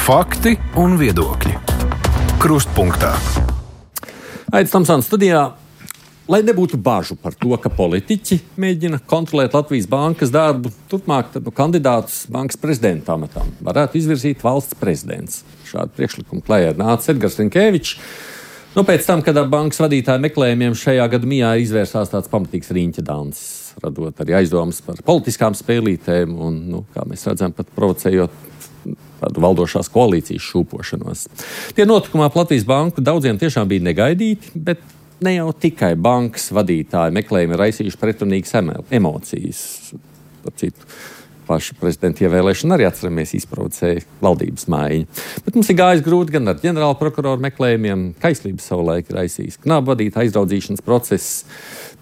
Fakti un viedokļi. Krustpunktā. Aidis Tomsons studijā. Lai nebūtu bažu par to, ka politiķi mēģina kontrolēt Latvijas bankas darbu, turpmāk kandidātus bankas prezidenta amatam varētu izvirzīt valsts prezidents. Šādu priekšlikumu klajā nāca Edgars Rinkēvičs. Pēc tam, kad ar bankas vadītāju meklējumiem šajā gada mijā izvērsās tāds pamatīgs riņķedancis, radot arī aizdomas par politiskām spēlītēm un, kā mēs redzam, pat provocējot tādu valdošās koalīcijas šūpošanos. Tie notikumi ap Latvijas banku daudziem tiešām bija negaidīti, bet ne jau tikai bankas vadītāji meklējumi raisījuši pretrunīgas emocijas. Par citu, paša prezidenta ievēlēšana arī atceramies izprovocēja valdības maiņu. Bet mums ir gājis grūti gan ar ģenerāla prokuroru meklējumiem, kaislības savulaik raisījis knābu vadītāju aizraudzīšanas process.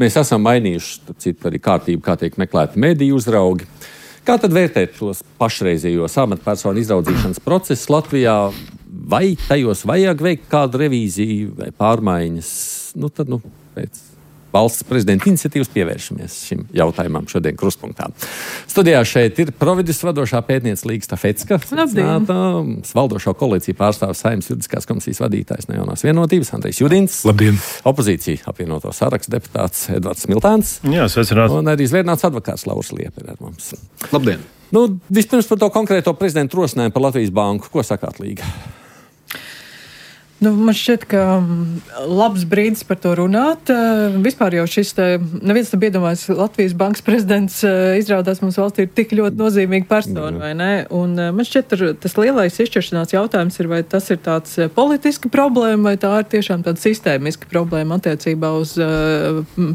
Mēs esam mainījuši citu arī kārtību, kā tiek meklēti mediju uzraugi. Kā tad vērtēt tos pašreizējos amatpersonu izraudzīšanas procesus Latvijā? Vai tajos vajag veikt kādu revīziju vai pārmaiņas? Tad pēc valsts prezidenta iniciatīvas pievēršamies šim jautājumam šodien Krustpunktā. Studijā šeit ir Providus vadošā pētniece Līga Stafecka, valdošo koalīciju pārstāvis Saeimas juridiskās komisijas vadītājs no Jaunās vienotības Andrejs Judins. Labdien! Opozīcija apvienoto sarakstu deputāts Edvards Smiltēns. Jā, sveicināts. Un arī zvērnāts advokāts Lauris Liepa ir ar mums. Labdien! Vispirms par to konkrēto prezidentu rosinājumu par Latvijas banku. Ko sakāt, Līga? Man šķiet, ka labs brīdis par to runāt. Vispār jau šis neviens tam iedomājas, Latvijas bankas prezidents izrādās mums valstī ir tik ļoti nozīmīga persona, vai ne? Un man šķiet, tas lielais izšķiršanās jautājums ir, vai tas ir tāds politiska problēma, vai tā ir tiešām tāda sistēmiska problēma attiecībā uz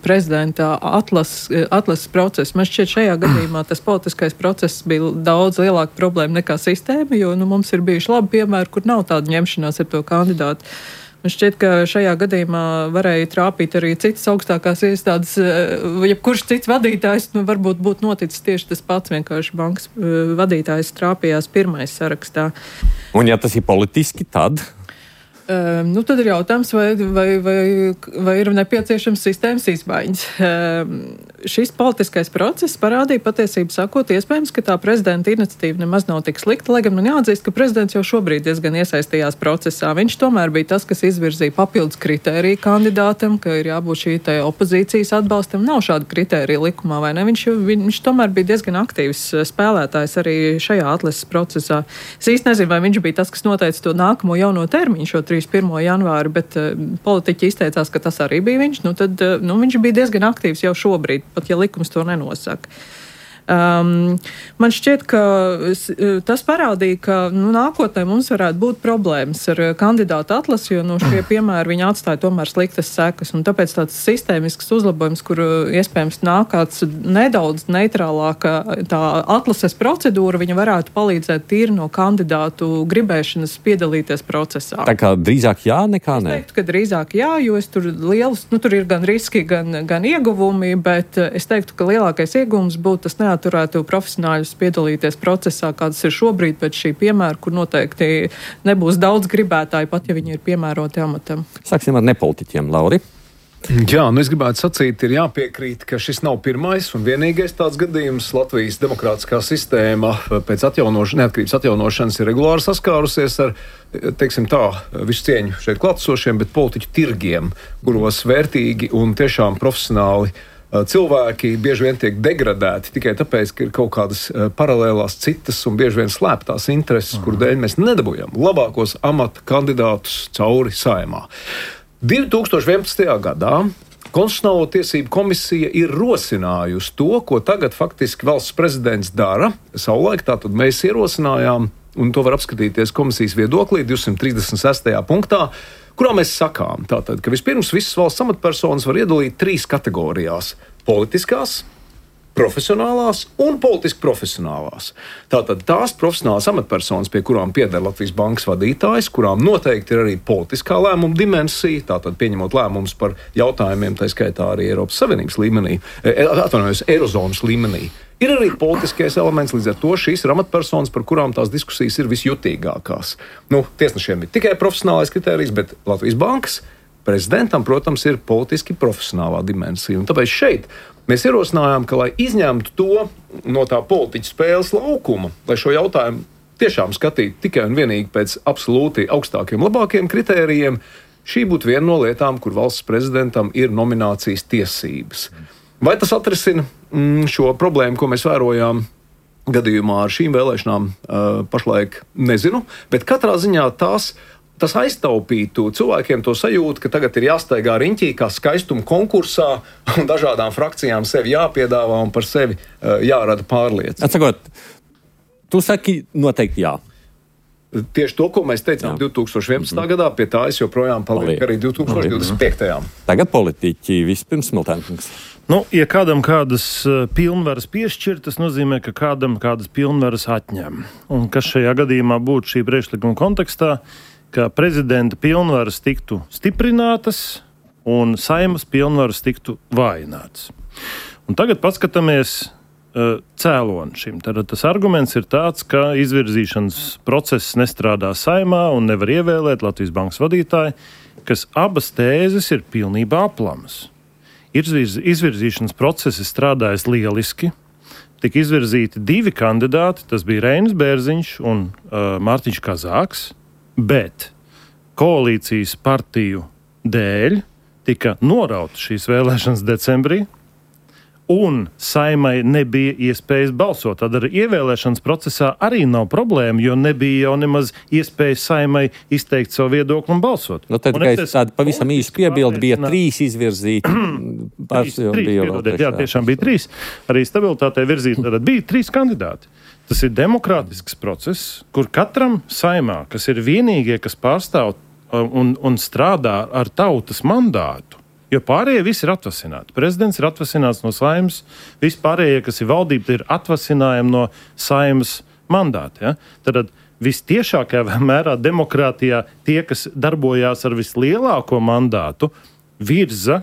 prezidenta atlases procesu. Man šķiet, šajā gadījumā tas politiskais process bija daudz lielāka problēma nekā sistēma, jo mums ir bijuši labi piemēri, kur nav tāda ņemšanās ar to kandidātu. Man šķiet, ka šajā gadījumā varēja trāpīt arī citas augstākās iestādes, jebkurš cits vadītājs, varbūt būtu noticis tieši tas pats, vienkārši bankas vadītājs trāpījās pirmais sarakstā. Un ja tas ir politiski, tad? Tad ir jautājums, vai ir nepieciešams sistēmas izmaiņas. Šis politiskais process parādīja patiesību sakot, iespējams, ka tā prezidenta iniciatīva nemaz nav tik slikta, lai gan man jāatzīst, ka prezidents jau šobrīd diezgan iesaistījās procesā. Viņš tomēr bija tas, kas izvirzīja papildus kritēriju kandidātam, ka ir jābūt šī opozīcijas atbalstam. Nav šāda kritērija likumā, vai ne? Viņš tomēr bija diezgan aktīvs spēlētājs arī šajā atlases procesā. Es īsti nezinu, vai viņš bija tas, kas noteica to nākamo jauno termiņu, šo 1. janvāri, bet politiķi izteicās, ka tas arī bija viņš. Tad viņš bija diezgan aktīvs jau šobrīd, pat ja likums to nenosaka. Man šķiet, ka tas parādīja, ka nākotnē mums varētu būt problēmas ar kandidātu atlasi, jo šie piemēri viņi atstāja tomēr sliktas sekas. Un tāpēc tāds sistēmisks uzlabojums, kur iespējams nākāts nedaudz neitrālāka tā atlases procedūra, viņa varētu palīdzēt tīri no kandidātu gribēšanas piedalīties procesā. Tā kā drīzāk jā, nekā nē? Es teiktu, ka drīzāk jā, jo es tur tur ir gan riski, gan ieguvumi, bet es teiktu, ka lielākais ieguvums būtu tas turētu profesionāļus piedalīties procesā, kāds ir šobrīd pēc šī piemēra, kur noteikti nebūs daudz gribētāju, pat ja viņi ir piemēroti amatam. Sāksim ar nepolitiķiem, Lauri. Jā, es gribētu sacīt, ir jāpiekrīt, ka šis nav pirmais un vienīgais tāds gadījums. Latvijas demokrātiskā sistēma pēc neatkarības atjaunošanas ir regulāri saskārusies ar, teiksim tā, visu cieņu šeit klātesošiem, bet politiķu tirgiem, kuros vērtīgi un tiešām profesionāli cilvēki bieži vien tiek degradēti tikai tāpēc, ka ir kaut kādas paralēlās citas un bieži vien slēptās intereses, kuru dēļ mēs nedabūjam labākos amata kandidātus cauri Saeimā. 2011. gadā Konstitucionālo tiesību komisija ir rosinājusi to, ko tagad faktiski valsts prezidents dara. Savulaik tātad mēs ierosinājām, un to var apskatīties komisijas viedoklī 236. punktā, kurā mēs sakām, tātad, ka vispirms visas valsts amatpersonas var iedalīt 3 kategorijās – politiskās, profesionālās un politiski profesionālās. Tātad tās profesionālās amatpersonas, pie kurām pieder Latvijas bankas vadītājs, kurām noteikti ir arī politiskā lēmuma dimensija, tātad pieņemot lēmumus par jautājumiem, tā skaitā arī Eiropas Savienības līmenī, Eirozonas līmenī. Ir arī politiskais elements, līdz ar to šīs ir amatpersonas, par kurām tās diskusijas ir visjutīgākās. Tiesnešiem ir tikai profesionālais kritērijs, bet Latvijas bankas prezidentam, protams, ir politiski profesionālā dimensija. Un tāpēc šeit mēs ierosinājām, ka, lai izņemtu to no tā politiķa spēles laukuma, lai šo jautājumu tiešām skatīt tikai un vienīgi pēc absolūti augstākiem, labākiem kritērijiem, šī būtu viena no lietām, kur valsts prezidentam ir nominācijas tiesības. Vai tas atrisina šo problēmu, ko mēs vērojām gadījumā ar šīm vēlēšanām, pašlaik nezinu, bet katrā ziņā tas aiztaupītu cilvēkiem to sajūtu, ka tagad ir jāstaigā riņķī kā skaistuma konkursā un dažādām frakcijām sevi jāpiedāvā un par sevi jārada pārliecība. Atsakot, tu saki noteikti jā. Tieši to, ko mēs teicām 2011. gadā, pie tā es joprojām palieku arī 2025. Tagad politiķi vispirms Smiltēnkungs. Ja kādam kādas pilnvaras piešķir, tas nozīmē, ka kādam kādas pilnvaras atņem. Un kas šajā gadījumā būtu šī priekšlikuma kontekstā, ka prezidenta pilnvaras tiktu stiprinātas un Saeimas pilnvaras tiktu vājinātas. Un tagad paskatāmies cēloni šim. Tad tas arguments ir tāds, ka izvirzīšanas process nestrādā Saeimā un nevar ievēlēt Latvijas bankas vadītāju, kas abas tēzes ir pilnībā aplamas. Izvirzīšanas process ir strādājis lieliski. Tika izvirzīti 2 kandidāti, tas bija Reinis Bērziņš un Mārtiņš Kazāks. Bet koalīcijas partiju dēļ tika norauta šīs vēlēšanas decembrī, un Saeimai nebija iespējas balsot. Tad arī ievēlēšanas procesā arī nav problēma, jo nebija jau nemaz iespējas Saeimai izteikt savu viedokli un balsot. Tad tāda pavisam īsa piebilde bija 3 izvirzīti. Jā, tiešām bija 3. Arī stabilitātei virzīti, tad bija 3 kandidāti. Tas ir demokrātisks process, kur katram Saeimā, kas ir vienīgie, kas pārstāv un strādā ar tautas mandātu, jo pārējie visi ir atvasināti. Prezidents ir atvasināts no Saeimas, vispārējie, kas ir valdība, ir atvasinājumi no Saeimas mandāta. Ja? Tad vistiešākajā mērā demokrātijā tie, kas darbojās ar vislielāko mandātu, virza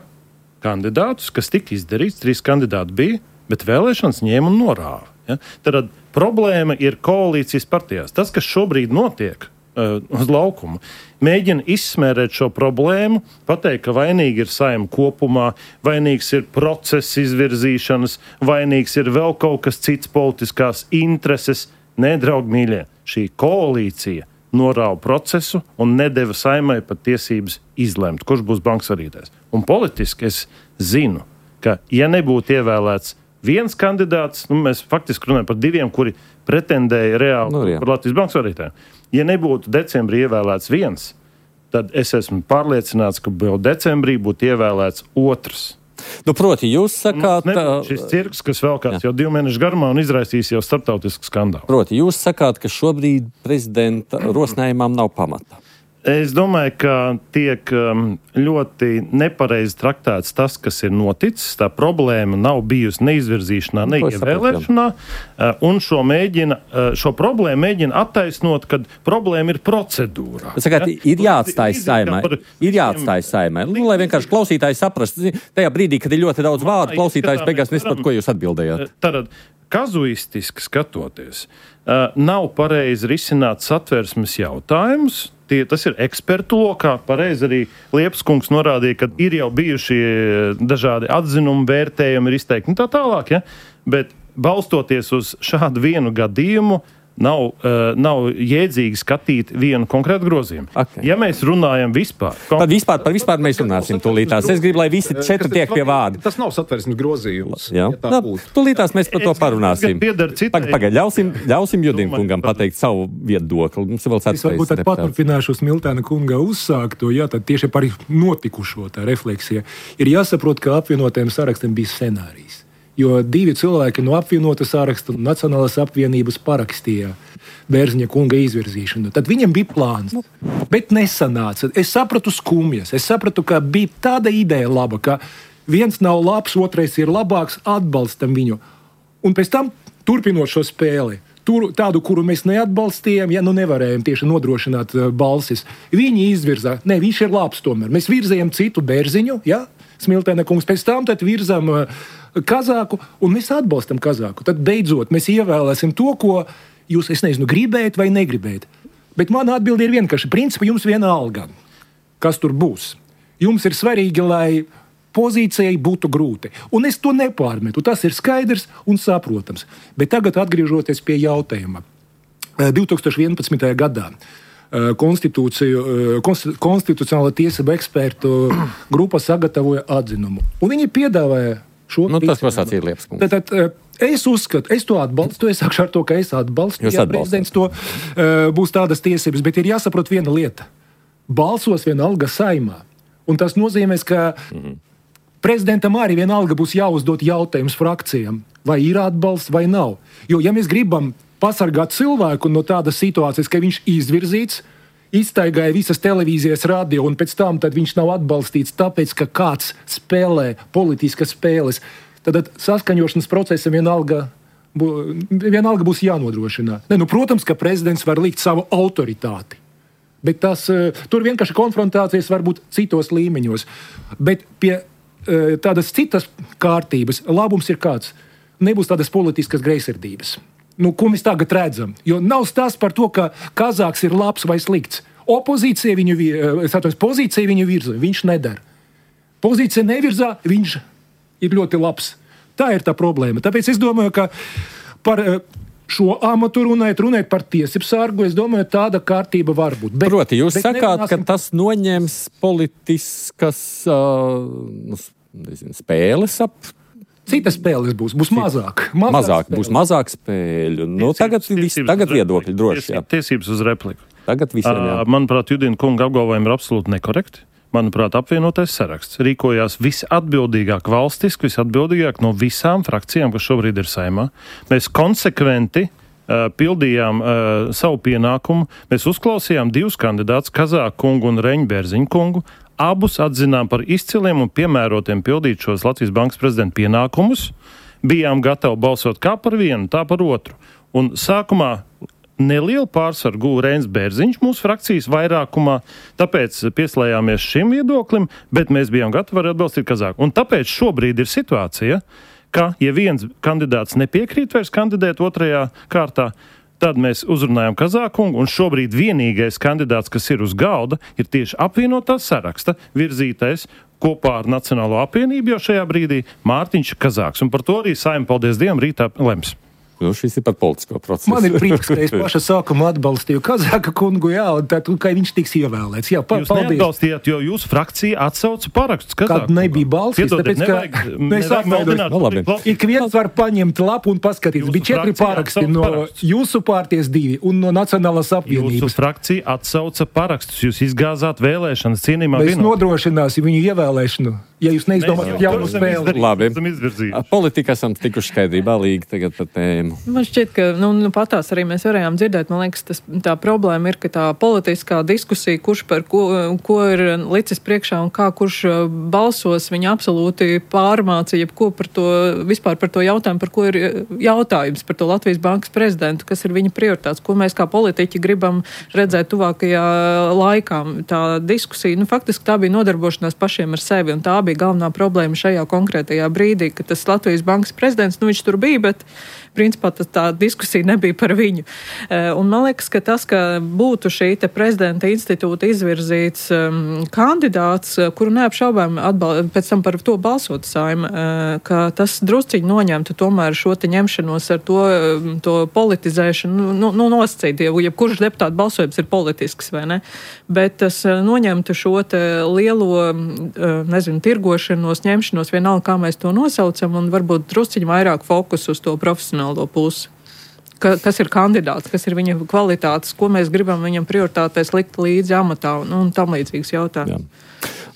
kandidātus, kas tika izdarīts, 3 kandidāti bija, bet vēlēšanas ņēma un norāva. Ja? Tad problēma ir koalīcijas partijās. Tas, kas šobrīd notiek uz laukumu, mēģina izsmērēt šo problēmu, pateikt, ka vainīgi ir Saeima kopumā, vainīgs ir process izvirzīšanas, vainīgs ir vēl kaut kas cits politiskās intereses. Nē, draugi mīļie, šī koalīcija norāva procesu un nedeva Saeimai pat tiesības izlemt, kurš būs bankas vadītājs. Un politiski es zinu, ka ja nebūtu ievēlēts viens kandidāts, mēs faktiski runājam par 2, kuri pretendēja reāli par Latvijas bankas vadītājiem. Ja nebūtu decembrī ievēlēts viens, tad es esmu pārliecināts, ka vēl decembrī būtu ievēlēts otrs. Proti, jūs sakāt... Šis cirks, kas velkās jau 2 mēnešu garumā un izraisīs jau starptautisku skandālu. Proti, jūs sakāt, ka šobrīd prezidenta rosinājumam nav pamata. Es domāju, ka tiek ļoti nepareizi traktēts tas, kas ir noticis. Tā problēma nav bijusi neizvirzīšanā, ne ievēlēšanā. Un šo problēmu mēģina attaisnot, kad problēma ir procedūrā. Sakāt, ir jāatstāj Saeimai. Lai vienkārši klausītāji saprastu. Tajā brīdī, kad ir ļoti daudz vārdu, klausītājs beigās nesaprot, ko jūs atbildējāt. Tad kazuistiski skatoties, nav pareizi risināt satversmes jautājumus. Tas ir ekspertu lokā. Pareizi arī Liepskungs norādīja, ka ir jau bijuši dažādi atzinumi, vērtējumi, ir izteikti un tā tālāk. Ja? Bet balstoties uz šādu vienu gadījumu, nav jēdzīgi skatīt vienu konkrētu grozījumu. Okay. Ja mēs runājam vispār... Tad par vispār mēs runāsim tūlītās. Es gribu, lai visi 4 tiek pie vārda. Tas nav satversmes grozījums. Ja tūlītās mēs par to parunāsim. Pagaid, ļausim Judim kungam pateikt savu viedokli. Mums vēl es varbūt paturpināšu Smiltēna kunga uzsākto, tad tieši par notikušo tā refleksija. Ir jāsaprot, ka apvienotajiem sarakstiem bija scenārijs. Jo 2 cilvēki no apvienota saraksta Nacionālās apvienības parakstīja Bērziņa kunga izvirzīšanu. Tad viņam bija plāns, bet nesanāca. Es sapratu skumjas, es sapratu, ka bija tāda ideja laba, ka viens nav labs, otrais ir labāks, atbalstam viņu. Un pēc tam, turpinot šo spēli, tādu, kuru mēs neatbalstījām, nevarējām tieši nodrošināt balsis, viņi izvirzā, viņš ir labs tomēr. Mēs virzējam citu Bērziņu, Smiltēna kungs, pēc tam tad virzam Kazāku, un mēs atbalstam Kazāku. Tad beidzot mēs ievēlēsim to, ko jūs, gribējat vai negribējat. Bet mana atbilde ir vienkārši, principā jums viena alga, kas tur būs. Jums ir svarīgi, lai pozīcijai būtu grūti. Un es to nepārmetu, tas ir skaidrs un saprotams. Bet tagad atgriežoties pie jautājuma. 2011. gadā konstitucionāla tiesība ekspertu grupa sagatavoja atzinumu. Un viņi piedāvāja šo tas, ko sacīja Liepas kungs. Tad es uzskatu, es to atbalstu, es sākšu ar to, ka es atbalstu, ja prezidents to būs tādas tiesības, bet ir jāsaprot viena lieta. Balsos vienalga Saeimā. Un tas nozīmēs, ka prezidentam arī vienalga būs jāuzdot jautājums frakcijām, vai ir atbalsts vai nav. Jo, ja mēs gribam pasargāt cilvēku no tādas situācijas, ka viņš izvirzīts, iztaigāja visas televīzijas, radio, un pēc tam tad viņš nav atbalstīts tāpēc, ka kāds spēlē politiskas spēles, tad saskaņošanas procesam vienalga būs jānodrošina. Protams, ka prezidents var likt savu autoritāti, bet tur vienkārši konfrontācijas var būt citos līmeņos. Bet pie tādas citas kārtības labums ir kāds. Nebūs tādas politiskas greizsirdības. Ko mēs tagad redzam? Jo nav stāsts par to, ka Kazāks ir labs vai slikts. Pozīcija viņu virza, viņš nedara. Pozīcija nevirzā, viņš ir ļoti labs. Tā ir tā problēma. Tāpēc es domāju, ka par šo amatu runājot par tiesību sargu, es domāju, tāda kārtība var būt. Proti, jūs sakāt, ka tas noņems politiskas spēles ap. Citas spēles būs mazāk. Būs mazāk spēļu. Tagad viedokļi droši. Tiesības uz repliku. Tagad visiem jā. Manuprāt, Judina kunga apgalvojumi ir absolūti nekorekti. Manuprāt, apvienotais saraksts rīkojās visatbildīgāk valstiski, visatbildīgāk no visām frakcijām, kas šobrīd ir Saeimā. Mēs konsekventi pildījām savu pienākumu. Mēs uzklausījām divus kandidātus, Kazāku kungu un Reņu Bērziņu kungu. Abus atzinām par izciliem un piemērotiem pildīt šos Latvijas Bankas prezidenta pienākumus. Bijām gatavi balsot kā par vienu, tā par otru. Un sākumā nelielu pārsvaru guva Reņs Bērziņš mūsu frakcijas vairākumā, tāpēc pieslējāmies šim viedoklim, bet mēs bijām gatavi arī atbalstīt Kazāku. Un tāpēc šobrīd ir situācija, ka, ja viens kandidāts nepiekrīt vairs kandidēt otrajā kārtā, tad mēs uzrunājam Kazāku, un šobrīd vienīgais kandidāts, kas ir uz galda, ir tieši apvienotā saraksta virzītais kopā ar Nacionālo apvienību jau šajā brīdī Mārtiņš Kazāks. Un par to arī Saeima, paldies Dievam, rītā lems. Šis ir par politisko procesu. Man ir prieks, ka es paša sākumā atbalstīju Kazāka kungu, un tad, ka viņš tiks ievēlēts. Jūs neatbalstījāt, jo jūsu frakcija atsauca parakstus Kazāku. Kad nebija balsis, tāpēc, ka mēs atvainojam. Ik viens var paņemt lapu un paskatīties. Bija 4 paraksti no jūsu partijas 2 un no Nacionālās apvienības. Jūsu frakcija atsauca parakstus. Jūs izgāzāt vēlēšanas cienījumā. Mēs nodrošināsim viņu ievēlēšanu. Ja jūs neizdomājat jaunu spēli. Labi. Politika esam tikuši skaidrībā līgi tagad par tēmu. Man šķiet, ka patās arī mēs varējām dzirdēt. Man liekas, tā problēma ir, ka tā politiskā diskusija, kurš par ko ir licis priekšā un kā kurš balsos, viņa absolūti pārmācīja ko par to, vispār par to jautājumu, par ko ir jautājums par to Latvijas Bankas prezidentu, kas ir viņa prioritāts, ko mēs kā politiķi gribam redzēt tuvākajā laikā. Tā diskusija, faktiski tā bija nodarbošanās pašiem ar sevi, un tā bija galvenā problēma šajā konkrētajā brīdī, ka tas Latvijas Bankas prezidents, viņš tur bija, bet principā tā diskusija nebija par viņu. Un man liekas, ka tas, ka būtu šī te prezidenta institūta izvirzīts kandidāts, kuru neapšaubām pēc tam par to balsot Saeima, ka tas drusciņi noņemtu tomēr šo te ņemšanos ar to politizēšanu, nosacīt, ja kurš deputātu balsojums ir politisks, vai ne? Bet tas noņemtu šo te lielo, tirgošanos, ņemšanos, vienalga, kā mēs to nosaucam, un varbūt drusciņi vairāk fokus uz to profesionālo pusi. Kas ir kandidāts, kas ir viņa kvalitātes, ko mēs gribam viņam prioritātēs likt līdzi amatā un tam līdzīgs jautājums. Jā.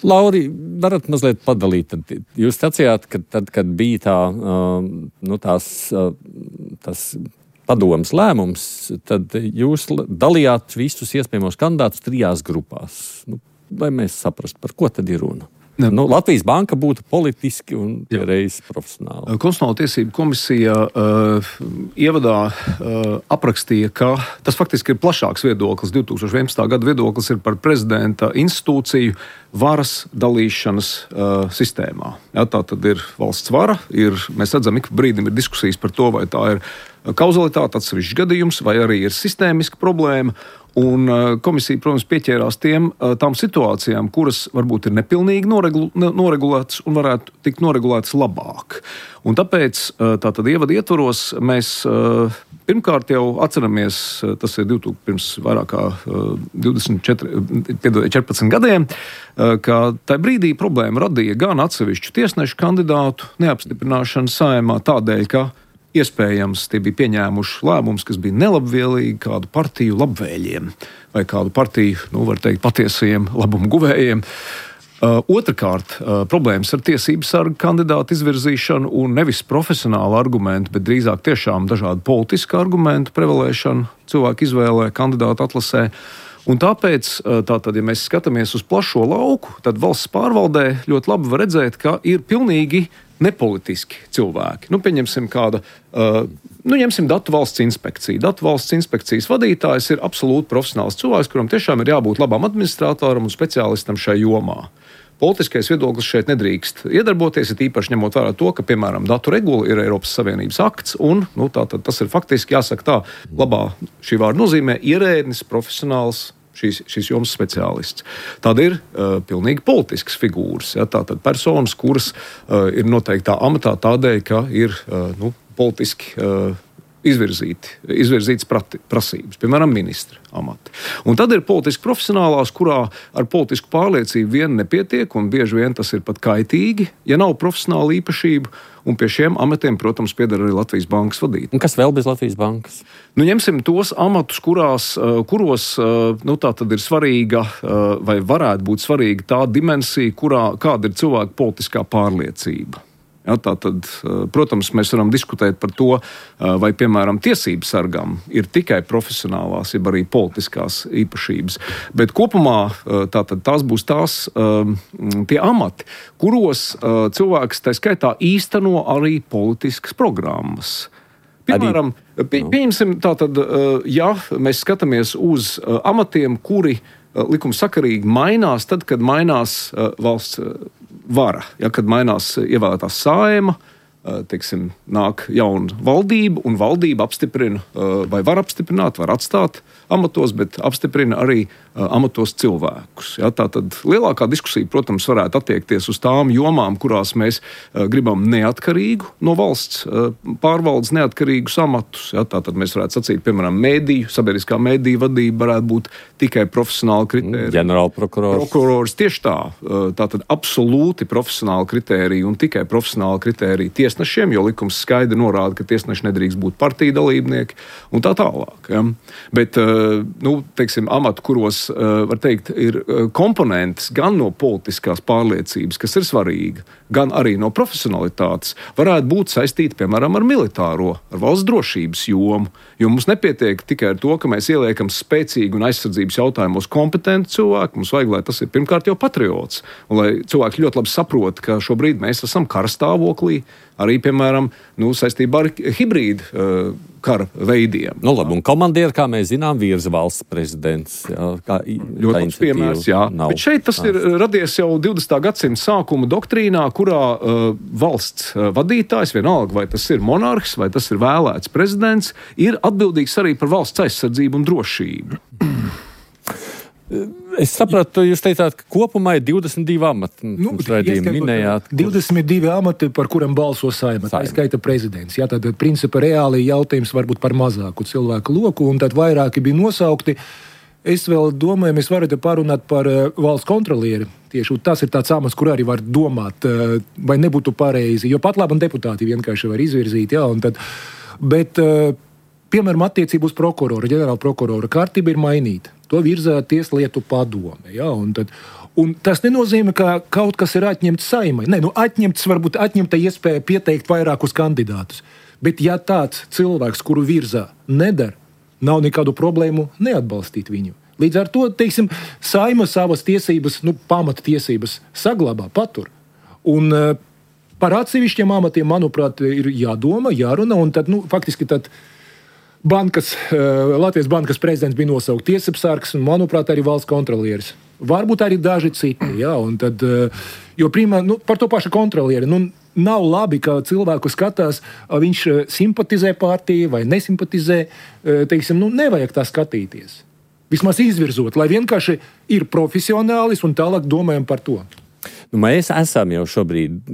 Lauri, varat mazliet padalīt. Jūs sacījāt, ka tad, kad bija tas padomas lēmums, tad jūs dalījāt visus iespējamos kandidātus 3 grupās. Lai mēs saprastu, par ko tad ir runa? Latvijas Banka būtu politiski un reiz profesionāli. Konstitucionāla tiesība komisija ievadā aprakstīja, ka tas faktiski ir plašāks viedoklis. 2011. gada viedoklis ir par prezidenta institūciju varas dalīšanas sistēmā. Tā tad ir valsts vara, mēs redzam, ik brīdim ir diskusijas par to, vai tā ir kauzalitāte, atsevišķs gadījums, vai arī ir sistēmiska problēma. Un komisija, protams, pieķērās tām situācijām, kuras varbūt ir nepilnīgi noregulētas un varētu tikt noregulētas labāk. Un tāpēc tātad ievada ietvaros mēs pirmkārt jau atceramies, tas ir pirms vairāk kā 14 gadiem, ka tajā brīdī problēma radīja gan atsevišķu tiesnešu kandidātu neapstiprināšanu Saeimā tādēļ, ka iespējams tie bija pieņēmuši lēmumus, kas bija nelabvēlīgi kādu partiju labvēļiem vai kādu partiju, var teikt, patiesajiem labumu guvējiem. Otrakārt, problēmas ar tiesību sargu kandidātu izvirzīšanu un nevis profesionālu argumentu, bet drīzāk tiešām dažādu politisku argumentu prevalēšanu cilvēku izvēlē, kandidātu atlasē. Un tāpēc, ja mēs skatāmies uz plašo lauku, tad valsts pārvaldē ļoti labi var redzēt, ka ir pilnīgi nepolitiski cilvēki. Pieņemsim ņemsim Datu valsts inspekciju. Datu valsts inspekcijas vadītājs ir absolūti profesionāls cilvēks, kuram tiešām ir jābūt labam administratoram un speciālistam šai jomā. Politiskais viedoklis šeit nedrīkst iedarboties, ir īpaši ņemot vērā to, ka, piemēram, datu regula ir Eiropas Savienības akts, un tas ir faktiski, jāsaka tā, labā šī vārda nozīmē ierēdnis, profesionāls, šīs jomas speciālists. Tad ir pilnīgi politiskas figūras, tātad personas, kuras ir noteiktā amatā tādēļ, ka ir politiski izvirzītas prasības, piemēram, ministra amati. Un tad ir politiski profesionālās, kurā ar politisku pārliecību vien nepietiek, un bieži vien tas ir pat kaitīgi, ja nav profesionāla īpašība, un pie šiem amatiem, protams, pieder arī Latvijas bankas vadītāji. Un kas vēl bez Latvijas bankas? Ņemsim tos amatus, kuros tā tad ir svarīga, vai varētu būt svarīga tā dimensija, kāda ir cilvēka politiskā pārliecība. Tātad, protams, mēs varam diskutēt par to, vai, piemēram, tiesību sargam ir tikai profesionālās, jeb arī politiskās īpašības. Bet kopumā tās būs tie amati, kuros cilvēks tā skaitā īsteno arī politiskas programmas. Piemēram, pieņemsim tātad, ja mēs skatāmies uz amatiem, kuri likumsakarīgi mainās tad, kad mainās valsts vara, kad mainās ievēlētā Saeima, teiksim, nāk jauna valdība, un valdība apstiprina, vai var apstiprināt, var atstāt amatos, bet apstiprina arī amatos cilvēkus. Tātad lielākā diskusija, protams, varētu attiekties uz tām jomām, kurās mēs gribam neatkarīgu no valsts pārvaldes neatkarīgus amatus. Tātad mēs varētu sacīt, piemēram, sabiedriskā mediju vadība varētu būt tikai profesionāla kritērija. Ģenerālprokurors. Tieši tā. Tātad absolūti profesionāla kritērija un tikai profesionāla kritērija tiesnešiem, jo likums skaidri norāda, ka tiesneši nedrīkst būt partiju dalībnieki un tā tālāk. Ja? Bet, teiksim, amatu, kuros, var teikt, ir komponentes gan no politiskās pārliecības, kas ir svarīga, gan arī no profesionalitātes, varētu būt saistīti, piemēram, ar militāro, ar valsts drošības jomu, jo mums nepietiek tikai ar to, ka mēs ieliekam spēcīgu un aizsardzības jautājumos kompetentu cilvēku, mums vajag, lai tas ir pirmkārt jau patriots, un lai cilvēki ļoti labi saprot, ka šobrīd mēs esam karastāvoklī, arī, piemēram, saistībā ar hibrīdu kara veidiem. Labi, un komandieri, kā mēs zinām, virza valsts prezidents. Ļoti labs piemērs, jā. Bet šeit tas ir radies jau 20. gadsimta sākuma doktrīnā, kurā valsts vadītājs, vienalga, vai tas ir monarhs, vai tas ir vēlēts prezidents, ir atbildīgs arī par valsts aizsardzību un drošību. Es sapratu, jūs teicāt, ka kopumā ir 22 amati. Minējāt, 22 amati, par kuriem balso Saeima. Tā skaita prezidents. Tad, principā, reāli jautājums varbūt par mazāku cilvēku loku, un tad vairāki bija nosaukti. Es vēl domāju, mēs varētu parunāt par valsts kontrolieri. Tieši tas ir tāds amats, kur arī var domāt, vai nebūtu pareizi, jo pat labi deputāti vienkārši var izvirzīt. Bet, piemēram, attiecību uz prokuroru, ģenerāla prokurora kārtība ir mainīta. To virza Tieslietu padome. Un tas nenozīmē, ka kaut kas ir atņemts Saeimai. Atņemta iespēja pieteikt vairākus kandidātus. Bet ja tāds cilvēks, kuru virza, nedara, nav nekādu problēmu neatbalstīt viņu. Līdz ar to, teiksim, Saeima savas tiesības, pamata tiesības saglabā, patur. Un par atsevišķiem amatiem, manuprāt, ir jādomā, jārunā, un tad, faktiski tad Latvijas bankas prezidents bija nosaukt tiesapsargs un, manuprāt, arī valsts kontrolieris. Varbūt arī daži citi. Par to pašu kontrolieri. Nav labi, ka cilvēku skatās, viņš simpatizē partiju vai nesimpatizē. Nevajag tā skatīties. Vismaz izvirzot, lai vienkārši ir profesionālis un tālāk domājam par to. Mēs esam jau šobrīd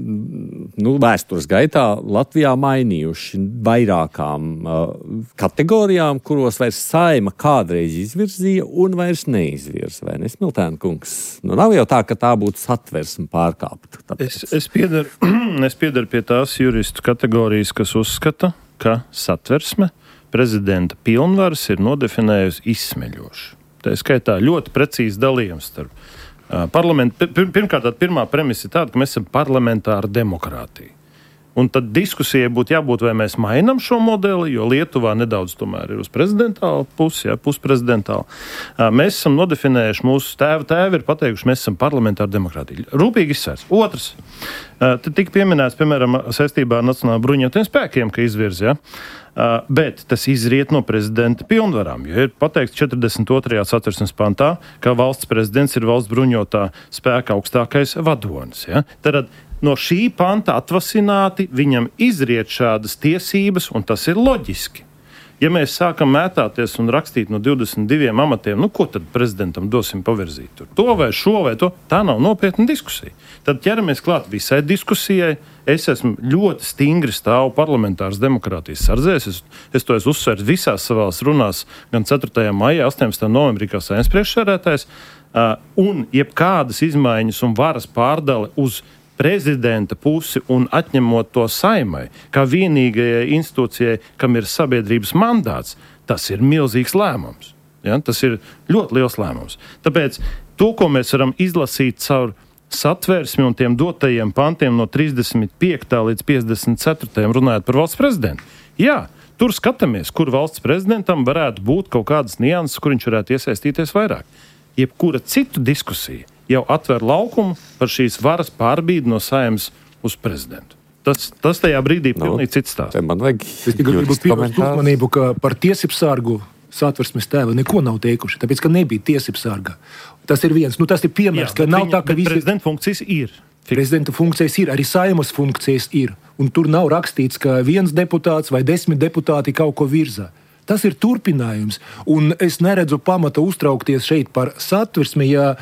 vēstures gaitā Latvijā mainījuši vairākām kategorijām, kuros vairs Saeima kādreiz izvirzīja un vairs neizvirza. Vai ne, Smiltēna kungs? Nav jau tā, ka tā būtu satversme pārkāpta. Es piedaru pie tās juristu kategorijas, kas uzskata, ka satversme prezidenta pilnvaras ir nodefinējusi izsmeļoši. Tā skaitā ļoti precīzi dalījums starp parlamentu. Pirmkārt, pirmā premisa ir tāda, ka mēs esam parlamentāra demokrātija. Un tad diskusijai būtu jābūt, vai mēs mainām šo modeli, jo Lietuvā nedaudz tomēr ir uz prezidentālu pusi, pusprezidentālu. Mēs esam nodefinējuši, mūsu tēvi ir pateikuši, mēs esam parlamentāra demokrātija. Rūpīgi izsvērts. Otrs, te tika pieminēts, piemēram, saistībā ar Nacionālajiem bruņotajiem spēkiem, ka izvirza, bet tas izriet no prezidenta pilnvarām, jo ir pateikts 42. satversmes pantā, ka valsts prezidents ir valsts bruņotā spēka augstākais vadonis. Ja? Tad no šī panta atvasināti viņam izriet šādas tiesības, un tas ir loģiski. Ja mēs sākam mētāties un rakstīt no 22 amatiem, ko tad prezidentam dosim pavirzīt? Tur? To vai šo vai to? Tā nav nopietna diskusija. Tad ķeramies klāt visai diskusijai. Es esmu ļoti stingri stāvu parlamentāras demokrātijas sardzēs. Es to esmu uzsvērs visās savās runās, gan 4. maijā, 18. novembrī, kā Saeimas priekšsēdētājs. Un jebkādas izmaiņas un varas pārdale uz prezidenta pusi un atņemot to Saeimai, kā vienīgajai institūcijai, kam ir sabiedrības mandāts, tas ir milzīgs lēmums. Ja? Tas ir ļoti liels lēmums. Tāpēc to, ko mēs varam izlasīt caur satversmi un tiem dotajiem pantiem no 35. līdz 54. runājot par valsts prezidentu. Jā, tur skatāmies, kur valsts prezidentam varētu būt kaut kādas nianses, kur viņš varētu iesaistīties vairāk. Jebkura citu diskusija jau atver laukumu par šīs varas pārbīdi no Saeimas uz prezidentu. Tas tajā brīdī pilnīgi cits stāsts. Es gribu pievērst uzmanību, ka par tiesību sargu satversmes tēvi neko nav teikuši, tāpēc, ka nebija tiesību sarga. Tas ir viens, tas ir piemērs, ka nav tā, ka visi... Prezidenta funkcijas ir. Prezidenta funkcijas ir, arī Saeimas funkcijas ir. Un tur nav rakstīts, ka viens deputāts vai 10 deputāti kaut ko virza. Tas ir turpinājums, un es neredzu pamata uztraukties šeit par satversmi, ja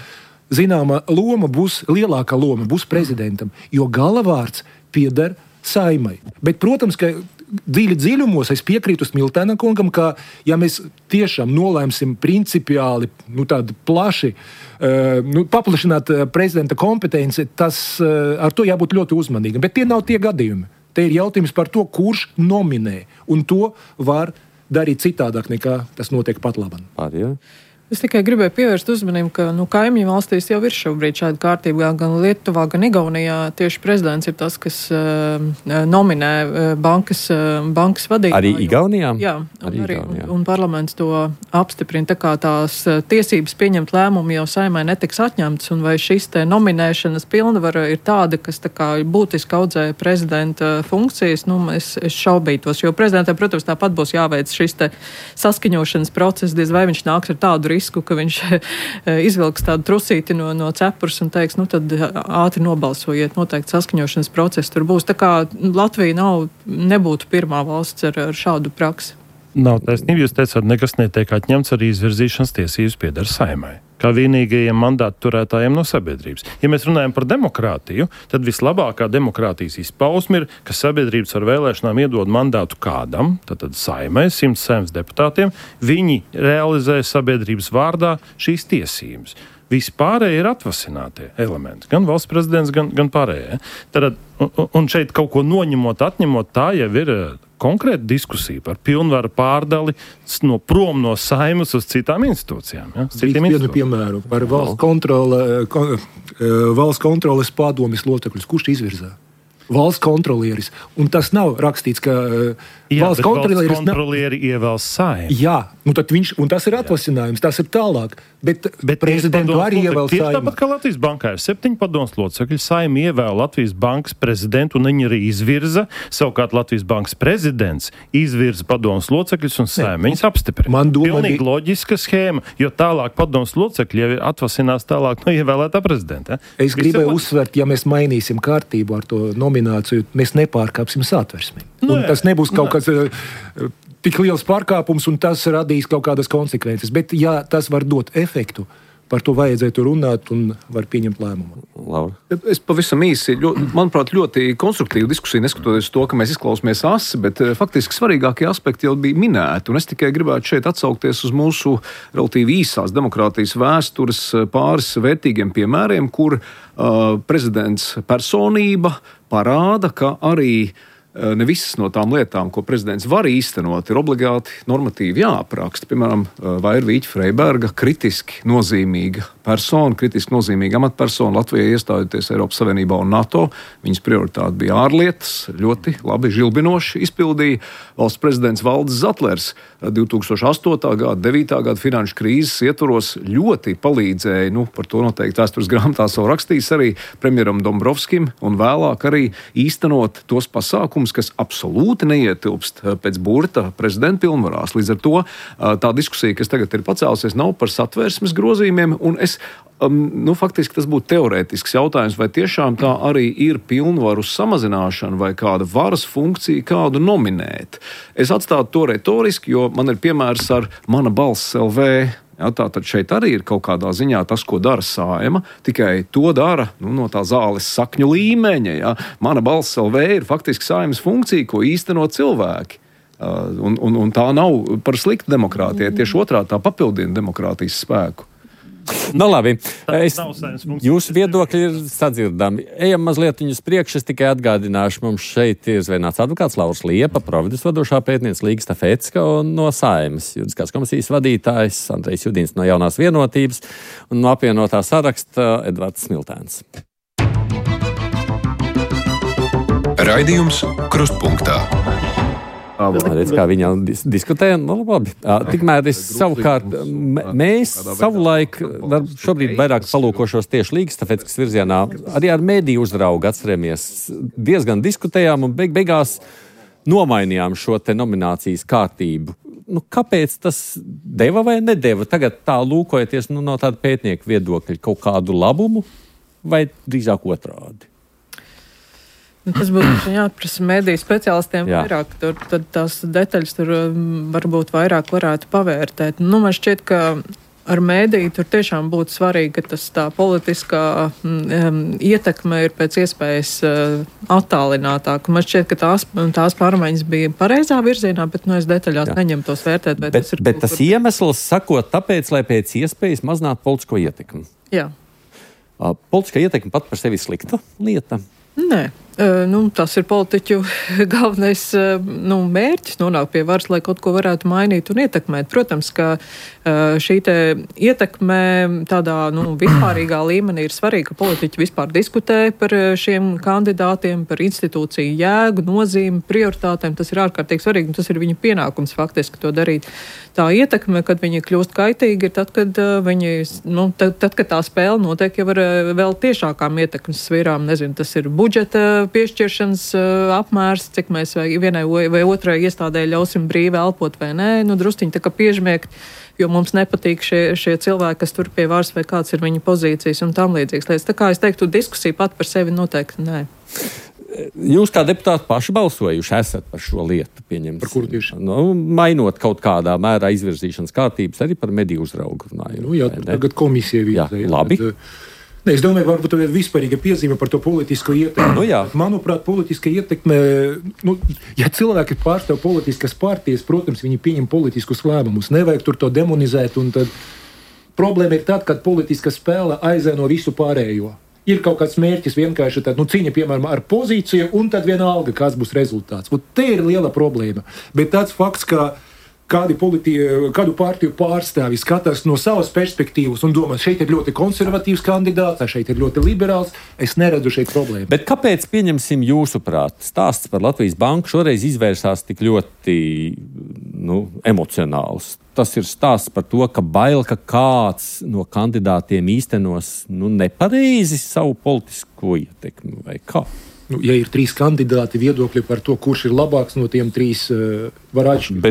zināma loma būs, lielākā loma būs prezidentam, jo galavārds pieder Saeimai. Bet, protams, ka dziļumos es piekrītu Smiltēna kungam, ka, ja mēs tiešām nolēmsim principiāli, tādu plaši, paplašināt prezidenta kompetenci, tas ar to jābūt ļoti uzmanīgam. Bet tie nav tie gadījumi. Te ir jautājums par to, kurš nominē, un to var darīt citādāk, nekā tas notiek pat labam. Es tikai gribēju pievērst uzmanību, ka kaimiņu valstīs jau ir šobrīd šāda kārtība, gan Lietuvā, gan Igaunijā. Tieši prezidents ir tas, kas nominē bankas vadītāju. Arī Igaunijā? Jā, un parlaments to apstiprina. Tā kā tās tiesības pieņemt lēmumu jau Saeimai netiks atņemtas, un vai šis te nominēšanas pilnvara ir tāda, kas tā kā būtiski audzē prezidenta funkcijas, es šaubītos, jo prezidentam, protams, tāpat būs jāveic šis te saskaņošanas process, diez vai viņš nāks ar tādu risku, ka viņš izvilks tādu trusīti no cepures un teiks, tad ātri nobalsojiet, noteikti saskaņošanas process tur būs. Tā kā Latvija nebūtu pirmā valsts ar šādu praksi. Nav taisnība, jūs teicāt, nekas netiek atņemts, arī izvirzīšanas tiesības pieder Saeimai, kā vienīgajiem mandātu turētājiem no sabiedrības. Ja mēs runājam par demokrātiju, tad vislabākā demokrātijas izpausme ir, ka sabiedrības ar vēlēšanām iedod mandātu kādam, tad Saeimai, 100 Saeimas deputātiem, viņi realizē sabiedrības vārdā šīs tiesības. Vispārēji ir atvasinātie elementi, gan valsts prezidents, gan pārējie. Tad, un šeit kaut ko noņemot, atņemot, tā jau ir konkrēta diskusija par pilnvaru pārdali prom no Saeimas uz citām institūcijām. Ja? Vienu piemēru par valsts kontroles padomes locekļus. Kurš izvirzā? Valsts kontrolieris. Un tas nav rakstīts, ka valsts kontrolieri ievēl Saeimu. Jā, tad viņš, un tas ir atvasinājums, tas ir tālāk. Bet prezidentu arī ievēl Saeimu. Tieši tāpat kā Latvijas bankā ir 7 padomes locekļi, Saeima ievēl Latvijas bankas prezidentu un viņi arī izvirza. Savukārt Latvijas bankas prezidents izvirza padomes locekļus un Saeima viņus apstiprina. Pilnīgi loģiska schēma, jo tālāk padomes locekļi jau atvasinās tālāk no ievēlētā prezidenta. Es gribēju uzsvert, ja mēs mainīsim kārtību ar to nomināciju, mēs nepārkāpsim satversmi. Un tas nebūs kaut kas tik liels pārkāpums, un tas radīs kaut kādas konsekvences. Bet, ja tas var dot efektu, par to vajadzētu runāt un var pieņemt lēmumu. Laura? Es pavisam īsi, manuprāt, ļoti konstruktīvu diskusiju, neskatoties to, ka mēs izklausāmies asi, bet faktiski svarīgākie aspekti jau bija minēti. Un es tikai gribētu šeit atsaukties uz mūsu relatīvi īsās demokrātijas vēstures pāris vērtīgiem piemēriem, kur prezidents personība parāda, ka arī ne visas no tām lietām, ko prezidents var īstenot, ir obligāti normatīvi jāapraksta. Piemēram, Vairvīķa Freiberga kritiski nozīmīga persona, kritiski nozīmīga amatpersona Latvijai iestājoties Eiropas Savienībā un NATO. Viņas prioritāte bija ārlietas, ļoti labi žilbinoši izpildīja. Valsts prezidents Valdis Zatlers 2008. gada, 9. gada finanšu krīzes ietvaros ļoti palīdzēja, par to noteikti vēstures grāmatā savu rakstījis arī premjeram Dombrovskim un vēlāk arī īstenot tos pasākumus, kas absolūti neietilpst pēc burta prezidenta pilnvarās. Līdz ar to tā diskusija, kas tagad ir pacēlusies, nav par satversmes grozījumiem, un faktiski tas būtu teorētisks jautājums, vai tiešām tā arī ir pilnvaru samazināšana vai kāda varas funkcija kādu nominēt. Es atstātu to retoriski, jo man ir piemērs ar Mana balss LV. Ja, tātad šeit arī ir kaut kādā ziņā tas, ko dara Saeima, tikai to dara no tā zāles sakņu līmeņa. Ja. Mana balss LV ir faktiski Saeimas funkcija, ko īsteno cilvēki. Un tā nav par sliktu demokrātijai, tieši otrā tā papildina demokrātijas spēku. Nu, labi. Jūsu viedokļi ir sadzirdami. Ejam mazliet uz priekšu. Es tikai atgādināšu, mums šeit ir zvejināts advokāts Lauris Liepa, Providus vadošā pētniece Līga Stafecka un no Saeimas juridiskās komisijas vadītājs Andrejs Judins no Jaunās vienotības un no apvienotā saraksta Edvards Smiltēns. Raidījums Krustpunktā. Redz, kā viņa diskutēja. Tikmēr es savukārt, mēs savulaik šobrīd vairāk palūkošos tieši Līgas Stafeckas virzienā, arī ar mediju uzraugu atceramies, diezgan diskutējām un beigās nomainījām šo te nominācijas kārtību. Kāpēc tas deva vai nedeva? Tagad tā lūkojoties no tāda pētnieka viedokļa kaut kādu labumu vai drīzāk otrādi? Tas būtu jāprasa mediju speciālistiem vairāk, tad tās detaļas tur varbūt vairāk varētu pavērtēt. Man šķiet, ka ar mediju tur tiešām būtu svarīgi, ka tas tā politiskā ietekme ir pēc iespējas attālinātāka. Man šķiet, ka tās pārmaiņas bija pareizā virzienā, bet es detaļās neņemu tos vērtēt. Bet tas iemesls sakot tāpēc, lai pēc iespējas mazinātu politisko ietekmi. Jā. Politiskā ietekme pat par sevi slikta lieta? Nē. Tas ir politiķu galvenais mērķis nonākt pie varas, lai kaut ko varētu mainīt un ietekmēt. Protams, ka šī te ietekme tādā vispārīgā līmenī ir svarīga, ka politiķi vispār diskutē par šiem kandidātiem, par institūciju jēgu, nozīmi, prioritātēm. Tas ir ārkārtīgi svarīgi un tas ir viņa pienākums faktiski to darīt. Tā ietekme, kad viņi kļūst kaitīgi, ir tad, kad kad tā spēle notiek jau ar vēl tiešākām ietekmes sfērām. Nezinu, tas ir budžeta piešķiršanas apmērs, cik mēs vienai vai otrai iestādē ļausim brīvi elpot vai nē, drusciņi tā kā piežmiegt, jo mums nepatīk šie cilvēki, kas tur pie varas vai kāds ir viņa pozīcijas un tam līdzīgas lietas. Tā kā es teiktu, diskusija pat par sevi noteikti nē. Jūs kā deputāti paši balsojuši esat par šo lietu, pieņemsim. Par kuru tieši? Mainot kaut kādā mērā izvirzīšanas kārtības, arī par mediju uzraugu runājot. Tagad komisija vīzē. Labi. Es domāju, varbūt tā ir vispārīga piezīme par to politisko ietekmi. Manuprāt, politiska ietekme, ja cilvēki pārstāv politiskas partijas, protams, viņi pieņem politiskus lēmumus. Nevajag tur to demonizēt, un tad problēma ir tad, kad politiska spēle aizēno visu pārējo. Ir kaut kāds mērķis vienkārši cīņa, piemēram, ar pozīciju, un tad vienalga, kāds būs rezultāts. Te ir liela problēma. Bet tāds fakts, ka kādu partiju pārstāvji skatās no savas perspektīvas un domā, šeit ir ļoti konservatīvs kandidāts, šeit ir ļoti liberāls, es neredzu šeit problēmu. Bet kāpēc, pieņemsim jūsuprāt, stāsts par Latvijas banku šoreiz izvērsās tik ļoti emocionāls? Tas ir stāsts par to, ka bail, ka kāds no kandidātiem īstenos nepareizi savu politisko ietekmi vai kā? Ja ir 3 kandidāti, viedokļi par to, kurš ir labāks no tiem 3 var atšķirties.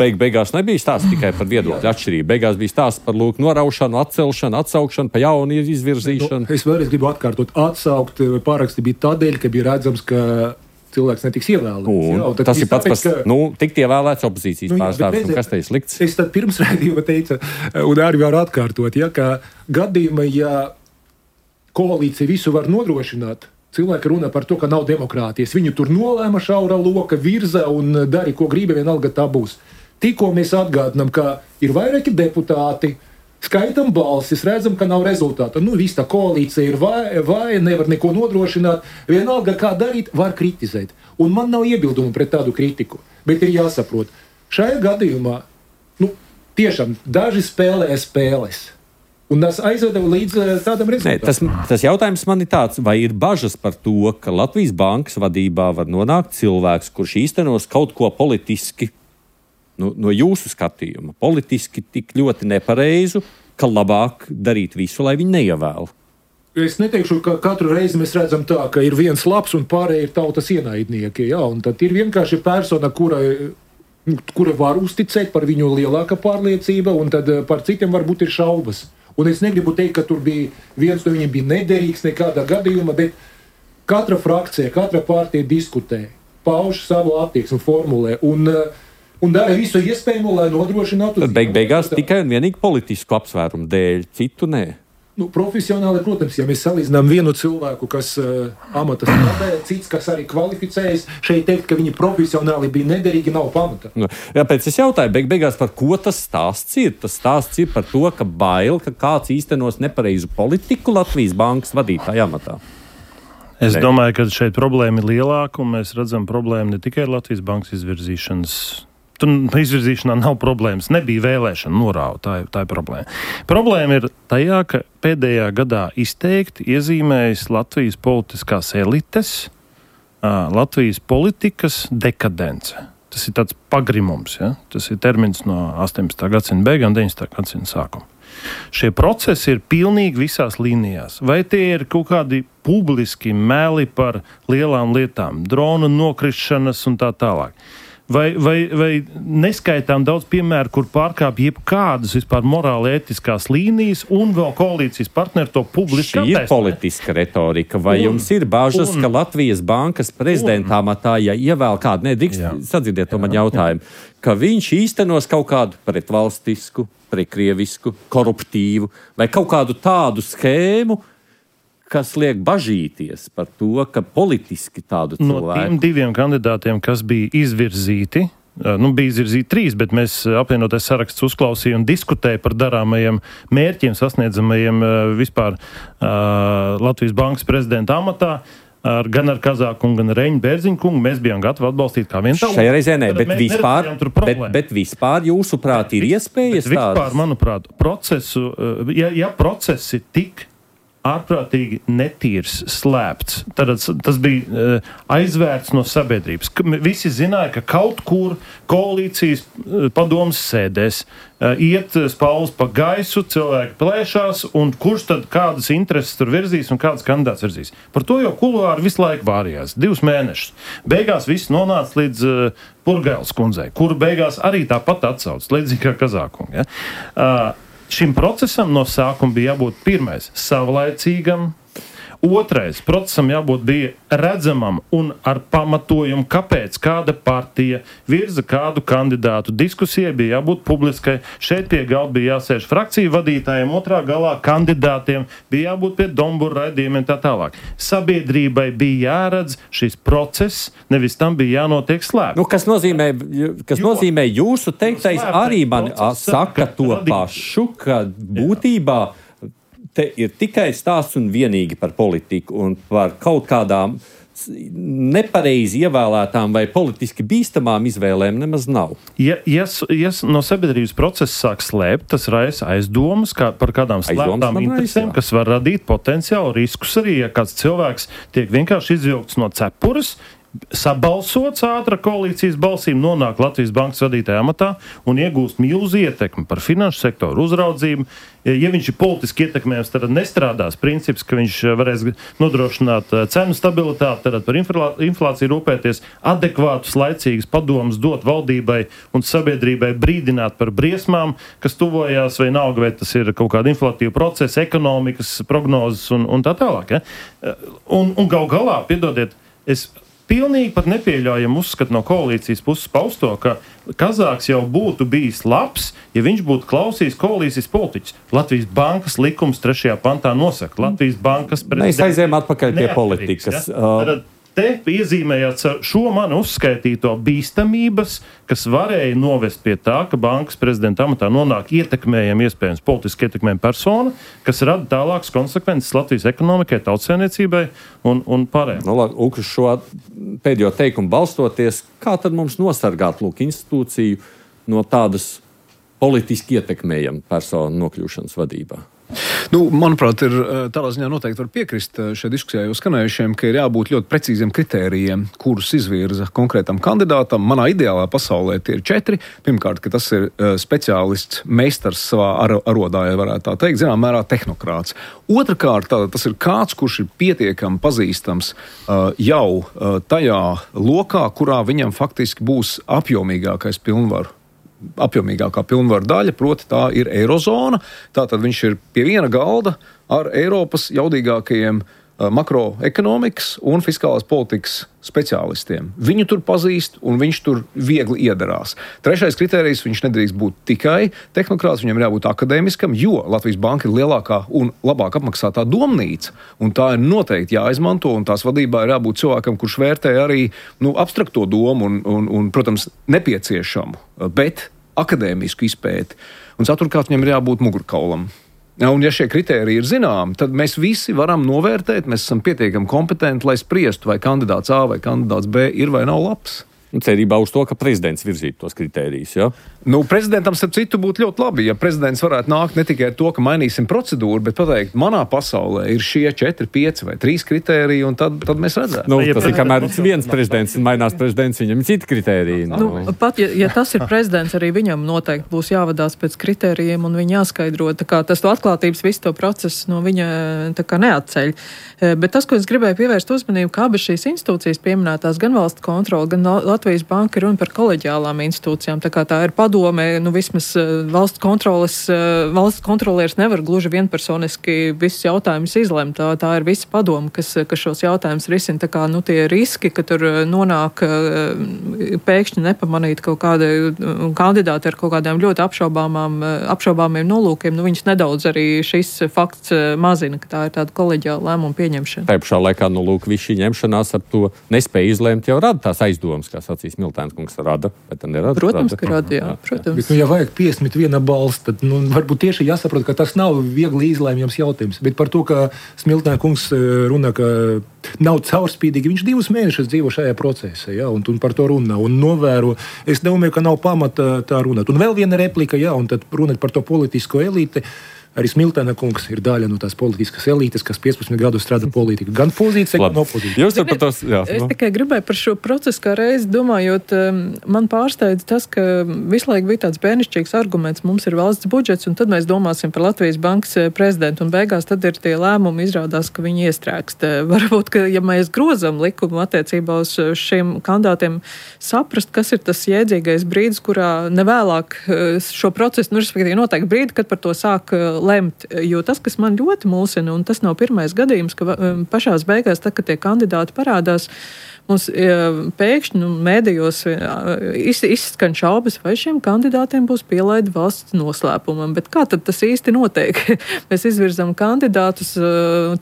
Bet beigās nebija stāsts tikai par viedokļu atšķirību. Beigās bija stāsts par noraušanu, atcelšanu, atsaukšanu, pa jaunu izvirzīšanu. Es vēlreiz gribu atkārtot, atsaukt pāraksti bija tādēļ, ka bija redzams, ka cilvēks netiks ievēlēts. Tas ir pats, tikt ievēlēts opozīcijas pārstāvis. Kas te ir slikts? Es tad pirms raidījuma teicu, un arī varu atkārtot, ka gadījumā, ja koalīcija visu var nodrošināt, cilvēki runā par to, ka nav demokrātijas. Viņu tur nolēma šaura loka, virza un dari, ko grib, vienalga tā būs. Tikko mēs atgādinām, ka ir vairāki deputāti, skaitam balsis, redzam, ka nav rezultāta. Viss tā koalīcija ir vāja, nevar neko nodrošināt. Vienalga, kā darīt, var kritizēt. Un man nav iebildumu pret tādu kritiku. Bet ir jāsaprot, šajā gadījumā, tiešām daži spēlē spēles. Un tas aizveda līdz tādam rezultātam. Tas jautājums man ir tāds, vai ir bažas par to, ka Latvijas bankas vadībā var nonākt cilvēks, kurš īstenos kaut ko politiski, no jūsu skatījuma, politiski tik ļoti nepareizu, ka labāk darīt visu, lai viņi neievēl. Es neteikšu, ka katru reizi mēs redzam tā, ka ir viens labs un pārējie ir tautas ienaidnieki. Jā, un tad ir vienkārši persona, kura var uzticēt, par viņu lielāka pārliecība, un tad par citiem varbūt ir šaubas. Un es negribu teikt, ka tur bija viens no viņiem bija nederīgs nekādā gadījumā, bet katra frakcija, katra partija diskutē, pauž savu attieksmi, formulē un dara visu iespējamo, lai nodrošinātu. Beigās tikai un vienīgi politisku apsvērumu dēļ, citu nē. Profesionāli, protams, ja mēs salīdzinām vienu cilvēku, kas amata strādāja, cits, kas arī kvalificējas, šeit teikt, ka viņi profesionāli bija nederīgi, nav pamata. Jāpēc es jautāju, beigās par ko tas stāsts ir? Tas stāsts ir par to, ka bail, ka kāds īstenos nepareizu politiku Latvijas bankas vadītāja amatā. Es domāju, ka šeit problēma ir lielāka, un mēs redzam problēmu ne tikai Latvijas bankas izvirzīšanas. Tur izvirzīšanā nav problēmas. Nebija vēlēšana norāva. Tā ir problēma. Problēma ir tajā, ka pēdējā gadā izteikti iezīmējas Latvijas politiskās elites, Latvijas politikas dekadence. Tas ir tāds pagrimums. Ja? Tas ir termins no 18. gadsimta beigām, 19. gadsimta sākuma. Šie procesi ir pilnīgi visās līnijās. Vai tie ir kaut kādi publiski meli par lielām lietām, drona nokrišanas un tā tālāk. Vai neskaitām daudz piemēru, kur pārkāpj jebkādas vispār morāli ētiskās līnijas un vēl koalīcijas partneri to publiski attēst? Šī ir politiska retorika. Vai jums ir bažas, ka Latvijas bankas prezidenta amatā, ja ievēl kādu, sadzirdēt to man jautājumu, ka viņš īstenos kaut kādu pretvalstisku, prekrievisku, koruptīvu vai kaut kādu tādu schēmu, kas liek bažīties par to, ka politiski tādu cilvēku... No tiem diviem kandidātiem, kas bija izvirzīti, bija izvirzīti 3, bet mēs apvienotais saraksts uzklausīja un diskutēja par darāmajiem mērķiem, sasniedzamajiem vispār Latvijas bankas prezidenta amatā, gan ar Kazāku un gan ar Reņu Bērziņu kungu. Mēs bijām gatavi atbalstīt kā vienu tavu. Šajā reizē nē, bet vispār jūsuprāt ir iespējas tādas? Vispār, manuprāt, ja procesi tik ārprātīgi netīrs, slēpts. Tad tas bija aizvērts no sabiedrības. Visi zināja, ka kaut kur koalīcijas padomas sēdēs iet spalvas pa gaisu, cilvēki plēšās, un kurš tad kādas intereses tur virzīs un kādas kandidāts virzīs. Par to jau kuluāri visu laiku vārījās. 2 mēnešus. Beigās viss nonāca līdz Purgailes kundzei, kuru beigās arī tāpat atsauc, līdzīgi kā Kazākunga. Ja? Šim procesam no sākuma bija jābūt pirmais savlaicīgam, otrais procesam bija redzamam un ar pamatojumu, kāpēc kāda partija virza kādu kandidātu. Diskusijai bija jābūt publiskai. Šeit pie galda bija jāsēž frakciju vadītājiem, otrā galā kandidātiem, bija jābūt pie dombura raidījumiem tā tālāk. Sabiedrībai bija jāredz šis process, nevis tam bija jānotiek slēpt. Kas nozīmē jūsu teiktais arī man saka to pašu, ka būtībā te ir tikai stāsts un vienīgi par politiku un par kaut kādām nepareizi ievēlētām vai politiski bīstamām izvēlēm nemaz nav. Ja no sabiedrības procesa sāk slēpt, tas raisa aizdomas par kādām slēptām interesēm, kas var radīt potenciālu riskus arī, ja kāds cilvēks tiek vienkārši izvilkts no cepures, sabalsots ātra koalīcijas balsīm, nonāk Latvijas bankas vadītāja amatā un iegūst milzu ietekmi par finanšu sektoru uzraudzību. Ja viņš ir politiski ietekmējams, tad nestrādās princips, ka viņš varēs nodrošināt cenu stabilitāti, tad par inflāciju rūpēties, adekvātus, laicīgus padomus dot valdībai un sabiedrībai, brīdināt par briesmām, kas tuvojās, vai nauga, vai tas ir kaut kāda inflatīva procesa, ekonomikas prognozes un tā tālāk. Ja? Un gal galā, piedodiet, es pilnīgi pat nepieļaujam uzskatu no koalīcijas puses pausto, ka Kazāks jau būtu bijis labs, ja viņš būtu klausījis koalīcijas politiķus. Latvijas bankas likums 3. pantā nosaka. Latvijas bankas prezidents. Mēs aizējām atpakaļ pie politikas. Ja? Te iezīmējās šo manu uzskaitīto bīstamības, kas varēja novest pie tā, ka bankas prezidenta amatā nonāk ietekmējama, iespējams, politiski ietekmējama persona, kas rada tālākas konsekvences Latvijas ekonomikai, tautsēmniecībai un pārējiem. Uz šo pēdējo teikumu balstoties, kā tad mums nosargāt institūciju no tādas politiski ietekmējama persona nokļūšanas vadībā? Manuprāt, ir tādā ziņā noteikti var piekrist šajā diskusijā jau skanējušiem, ka ir jābūt ļoti precīziem kritērijiem, kurus izvirza konkrētam kandidātam. Manā ideālā pasaulē tie ir 4. Pirmkārt, ka tas ir speciālists, meistars savā arodā, ja varētu tā teikt, zinām mērā tehnokrāts. Otrakārt, tas ir kāds, kurš ir pietiekami pazīstams jau tajā lokā, kurā viņam faktiski būs apjomīgākais apjomīgākā pilnvaru daļa, proti tā ir Eirozona. Tātad viņš ir pie viena galda ar Eiropas jaudīgākajiem makroekonomikas un fiskālās politikas speciālistiem. Viņu tur pazīst un viņš tur viegli iedarās. 3. kritērijs, viņš nedrīkst būt tikai tehnokrāts, viņam ir jābūt akadēmiskam, jo Latvijas banka ir lielākā un labāk apmaksātā domnīca, un tā ir noteikti jāizmanto, un tās vadībā ir jābūt cilvēkam, kurš vērtē arī abstrakto domu un, protams, nepieciešamu, bet akadēmisku izpēti. Un ceturkārt, viņam ir jābūt mugurkaulam. Un ja šie kritēriji ir zināmi, tad mēs visi varam novērtēt, mēs esam pietiekami kompetenti, lai spriestu, vai kandidāts A vai kandidāts B ir vai nav labs. Cerībā uz to, ka prezidents virzītu tos kritērijus, ja? Prezidentam, starp citu, būtu ļoti labi, ja prezidents varētu nākt ne tikai ar to, ka mainīsim procedūru, bet pateikt, manā pasaulē ir šie 4, 5 vai 3 kritēriji, un tad mēs redzētu. Tas ir, kamēr viens prezidents mainās prezidents, viņam ir citi kritēriji. Pat, ja tas ir prezidents, arī viņam noteikti būs jāvadās pēc kritērijiem, un viņa jāskaidro, tā kā tas to atklātības visu to procesu no viņa tā kā neatceļ. Bet tas, ko es gribēju pievērst uzmanību, kā abas šīs institūcijas pieminētās, gan valsts kontrola, gan Latvijas banka ir runa par koleģiālām institūcijām, tā kā tā ir padome, vismaz valsts kontrolieris nevar gluži vienpersoniski visus jautājumus izlemt, tā ir visa padome, kas šos jautājumus risina, tā kā, tie riski, ka tur nonāk pēkšņi nepamanīt kaut kādi kandidāti ar kaut kādām ļoti apšaubāmiem nolūkiem, viņus nedaudz arī šis fakts mazina, ka tā ir tāda koleģiāla lēmuma pieņemšana. Tā pašā laikā, šī ņemšanās ar to nespēju izlēmt jau rada tās aizdomas, kā sacīs Miltēns kungs rada, bet tā nerada. Protams, ka rada, jā. Protams. Bet, ja vajag 51 balss, tad varbūt tieši jāsaprot, ka tas nav viegli izlēmjams jautājums. Bet par to, ka Smiltēna kungs runā, ka nav caurspīdīgi, viņš 2 mēnešus dzīvo šajā procesā, ja, un par to runā un novēro. Es domāju, ka nav pamata tā runāt. Un vēl viena replika, ja, un tad runāt par to politisko elīti. Arī Smiltēna kungs ir daļa no tās politiskas elītes, kas 15 gadus strādā politiku. Gan pozīcija, gan opozīcija. Jūs par tos, jā. Es tikai gribēju par šo procesu kā reizi domājot, man pārsteidz tas, ka visu laiku bija tāds bērnišķīgs arguments, mums ir valsts budžets, un tad mēs domāsim par Latvijas bankas prezidentu, un beigās tad ir tie lēmumi, izrādās, ka viņi iestrēgst. Varbūt, ka ja mēs grozam likumu attiecībā uz šiem kandidātiem, saprast, kas ir tas jēdzīgais brīdis, kurā nevēlāk šo procesu, respektīvi noteikti brīdi, kad par to sāk lemt, jo tas, kas man ļoti mulsina, un tas nav pirmais gadījums, ka pašās beigās, tad, kad tie kandidāti parādās, mums pēkšņi mēdījos izskan šaubas, vai šiem kandidātiem būs pielaida valsts noslēpumam. Bet kā tad tas īsti notiek? Mēs izvirzam kandidātus,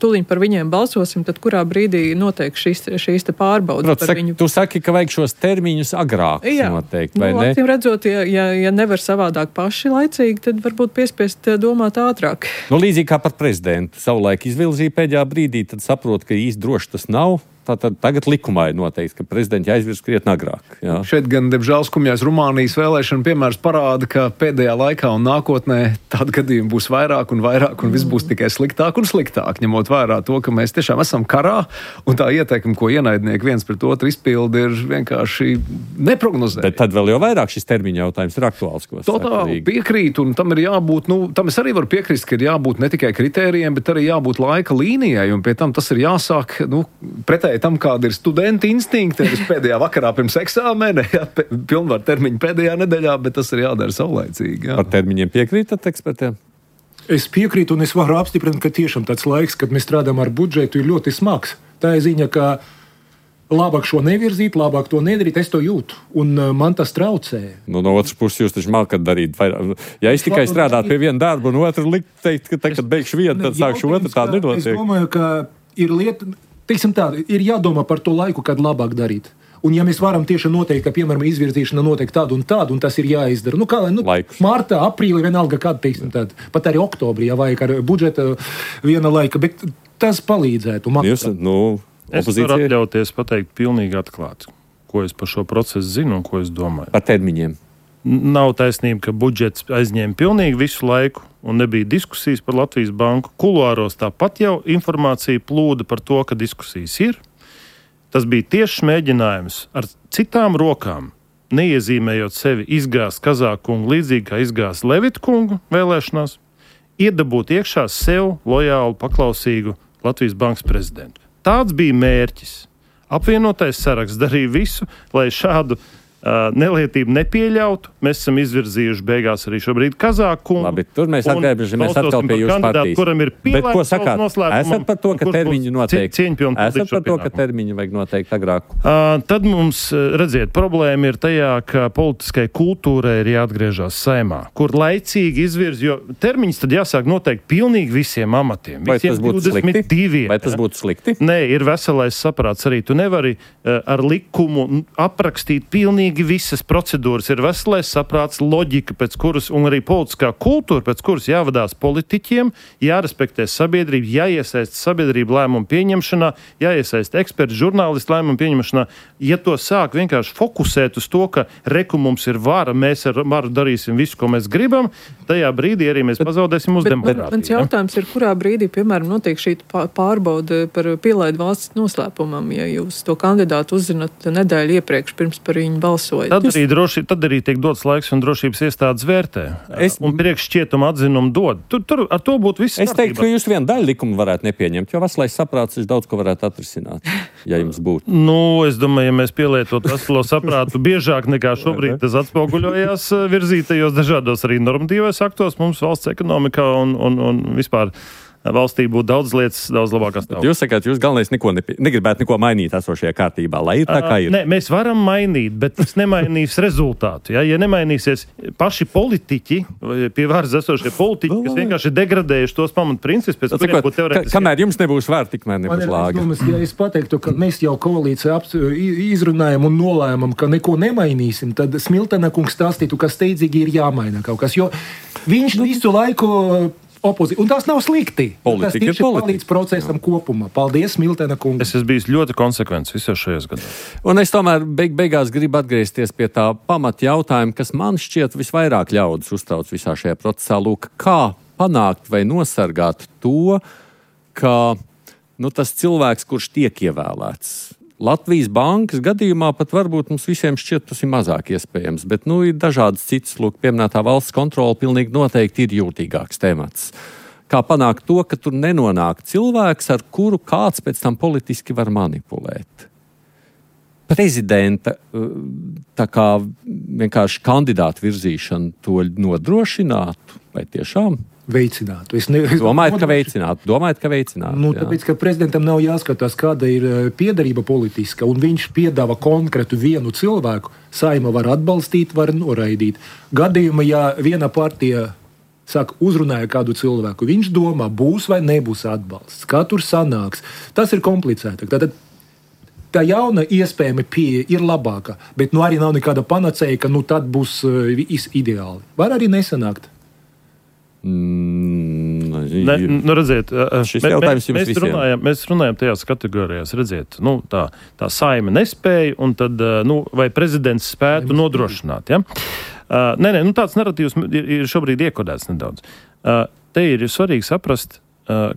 tūliņ par viņiem balsosim, tad kurā brīdī notiek šīs te pārbaudas par viņu? Tu saki, ka vajag šos termiņus agrāk noteikti, vai ne? Redzot, ja nevar savādāk paši laicīgi, tad varbūt piespiest domāt ātrāk. Līdzīgi kā par prezidentu. Savulaik izvilzīja pēdējā brīdī, tad saprot, ka īsti droši tas nav. Tātad tagad likumā ir noteikts, ka prezidents jāizvirz krietni agrāk. Jā. Šeit gan, diemžēl, skumjais Rumānijas vēlēšana piemērs parāda, ka pēdējā laikā un nākotnē tādu gadījumu būs vairāk, un viss būs tikai sliktāk un sliktāk, ņemot vērā to, ka mēs tiešām esam karā, un tā ieteikuma, ko ienaidnieki viens pret otru izpildi, ir vienkārši neprognozējama. Bet tad vēl jau vairāk šis termiņa jautājums ir aktuāls. Totāli piekrīt, un tam ir jābūt, tam es arī varu piekrist, ka ir jābūt ne tikai kritērijiem, bet arī jābūt laika līnijai, un pie tam tas ir jāsāk, pretēji tam, kāda ir studenta instinkti, pēdējā vakarā pirms eksāmena, pilnvar termiņu pēdējā nedēļā, bet tas ir jādara saulaicīgi. Jā. Par termiņiem piekrītat ekspertiem? Es piekrītu, un es varu apstiprināt, ka tiešām tāds laiks, kad mēs strādājam ar budžetu, ir ļoti smags. Tā ir ziņa, ka labāk šo nevirzīt, labāk to nedarīt, es to jūtu. Un man tas traucē. No otras puses, jūs taču mākat darīt. Ja es tikai strādātu pie viena darba, un otru teikt, ka tagad beigšu vienu, tad sākšu otru, tā nenotiek. Es domāju, ka ir lieta, teiksim tā, ir jādomā par to laiku, kad labāk darīt. Un ja mēs varam tieši noteikt, ka, piemēram, izvirzīšana notiek tādu un tas ir jāizdara. Martā, aprīlī, vienalga kāda, teiksim tāda. Pat arī oktobrī, ja vajag ar budžeta viena laika, bet tas palīdzētu. Es varu atļauties pateikt pilnīgi atklāti, ko es par šo procesu zinu un ko es domāju. Par termiņiem. Nav taisnība, ka budžets aizņēma pilnīgi visu laiku un nebija diskusijas par Latvijas banku. Kuluāros tāpat jau informācija plūda par to, ka diskusijas ir. Tas bija tieši mēģinājums ar citām rokām, neiezīmējot sevi izgāzt Kazākungu līdzīgi kā izgāzt Levitkungu vēlēšanās, iedabūt iekšā sev lojālu, paklausīgu Latvijas bankas prezidentu. Tāds bija mērķis. Apvienotais saraksts darīja visu, lai šādu nelietību nepieļautu. Mēs esam izvirzījuši beigās arī šobrīd Kazākungu. Labi, tur mēs atgriežamies atkal pie jūsu partijas. Kuram ir bet ko sakāt? Esat par to, ka termiņu noteikti? Esat par to, ka termiņu vajag noteikti agrāk? Tad mums, redziet, problēma ir tajā, ka politiskai kultūrai ir jāatgriežas Saeimā, kur laicīgi izvirz, jo termiņus tad jāsāk noteikt pilnīgi visiem amatiem. Vai tas būtu slikti? Vai tas būtu slikti? Nē, ir veselais saprāts arī. Tu nevari ar likumu aprakstīt pilnīgi visas procedūras, ir veselais saprāts, loģika, pēc kuras, un arī politiskā kultūra, pēc kuras jāvadās politiķiem, jārespektē sabiedrība, jāiesaist sabiedrību lēmumu pieņemšanā, jāiesaist eksperti, žurnālisti lēmumu pieņemšanā. Ja to sāk vienkārši fokusēt uz to, ka reku mums ir vara, mēs ar varu darīsim visu, ko mēs gribam, tajā brīdī arī mēs pazaudēsim uz demokrātiju. Mans jautājums ir, kurā brīdī, piemēram, notiek šī pārbaude par pielaidu valsts noslēpumam, ja jūs to kandidātu uzzināt nedēļu iepriekš pirms par viņu balsojat? Tad arī tiek dots laiks un drošības iestādes vērtē. Un priekššķietuma atzinumu dod. Tur ar to būtu viss. Es teiktu, ka jūs vienu daļu likumu varētu nepieņemt, jo veselais saprāts daudz ko varētu atrisināt, ja jums būtu. Es domāju, ja mēs pielietotu veselo saprātu biežāk nekā šobrīd tas atspoguļojās virzītajos dažādos arī normatīvos aktos, mums valsts ekonomikā un vispār valstī būtu daudz lietas, daudz labākās stāvokļa. Jūs sakāt, jūs galvenais negribētu neko mainīt esošajā kārtībā, lai ir tā, kā ir. Nē, mēs varam mainīt, bet tas nemainīs rezultātu. Ja nemainīsies paši politiķi, pie varas esošie politiķi, kas vienkārši ir degradējuši tos pamatprincipus, pēc kuriem būtu teorētiski. Kamēr jums nebūs vārds, tikmēr nebūs lāga. Ja es pateiktu, ka mēs jau koalīciju izrunājam un nolēmam, ka neko nemainīsim, tad Smiltena kungs stāstītu, ka steidzīgi ir jāmaina kaut kas, jo viņš visu laiku opozīcija. Un tas nav slikti. Tas tieši palīdz procesam kopumā. Paldies, Smiltena kungs. Es esmu bijis ļoti konsekvents visos šajos gados. Un es tomēr beigās gribu atgriezties pie tā pamata jautājuma, kas man šķiet visvairāk ļaudis uztrauc visā šajā procesā. Lūk, kā panākt vai nosargāt to, ka tas cilvēks, kurš tiek ievēlēts, Latvijas bankas gadījumā pat varbūt mums visiem šķiet, tas ir mazāk iespējams, bet ir dažādas citas, pieminētā valsts kontrole pilnīgi noteikti ir jūtīgāks temats. Kā panākt to, ka tur nenonāk cilvēks, ar kuru kāds pēc tam politiski var manipulēt? Prezidenta tā kā vienkārši kandidātu virzīšana to nodrošinātu, vai tiešām? Veicinātu. Domājat, ka veicinātu? Tāpēc, ka prezidentam nav jāskatās, kāda ir piederība politiska, un viņš piedāvā konkrētu vienu cilvēku, Saeima var atbalstīt, var noraidīt. Gadījumā, ja viena partija uzrunāja kādu cilvēku, viņš domā, būs vai nebūs atbalsts, kā tur sanāks. Tas ir komplicētāk. Tātad tā jauna iespējama pieeja ir labāka, bet arī nav nekāda panacēja, ka tad būs ideāli. Var arī nesanākt. Redziet, mēs runājam tajās kategorijās, redziet, tā Saeima nespēja, un tad, vai prezidents spētu nodrošināt, ja? Tāds narratīvs ir šobrīd iekodēts nedaudz. Te ir svarīgi saprast,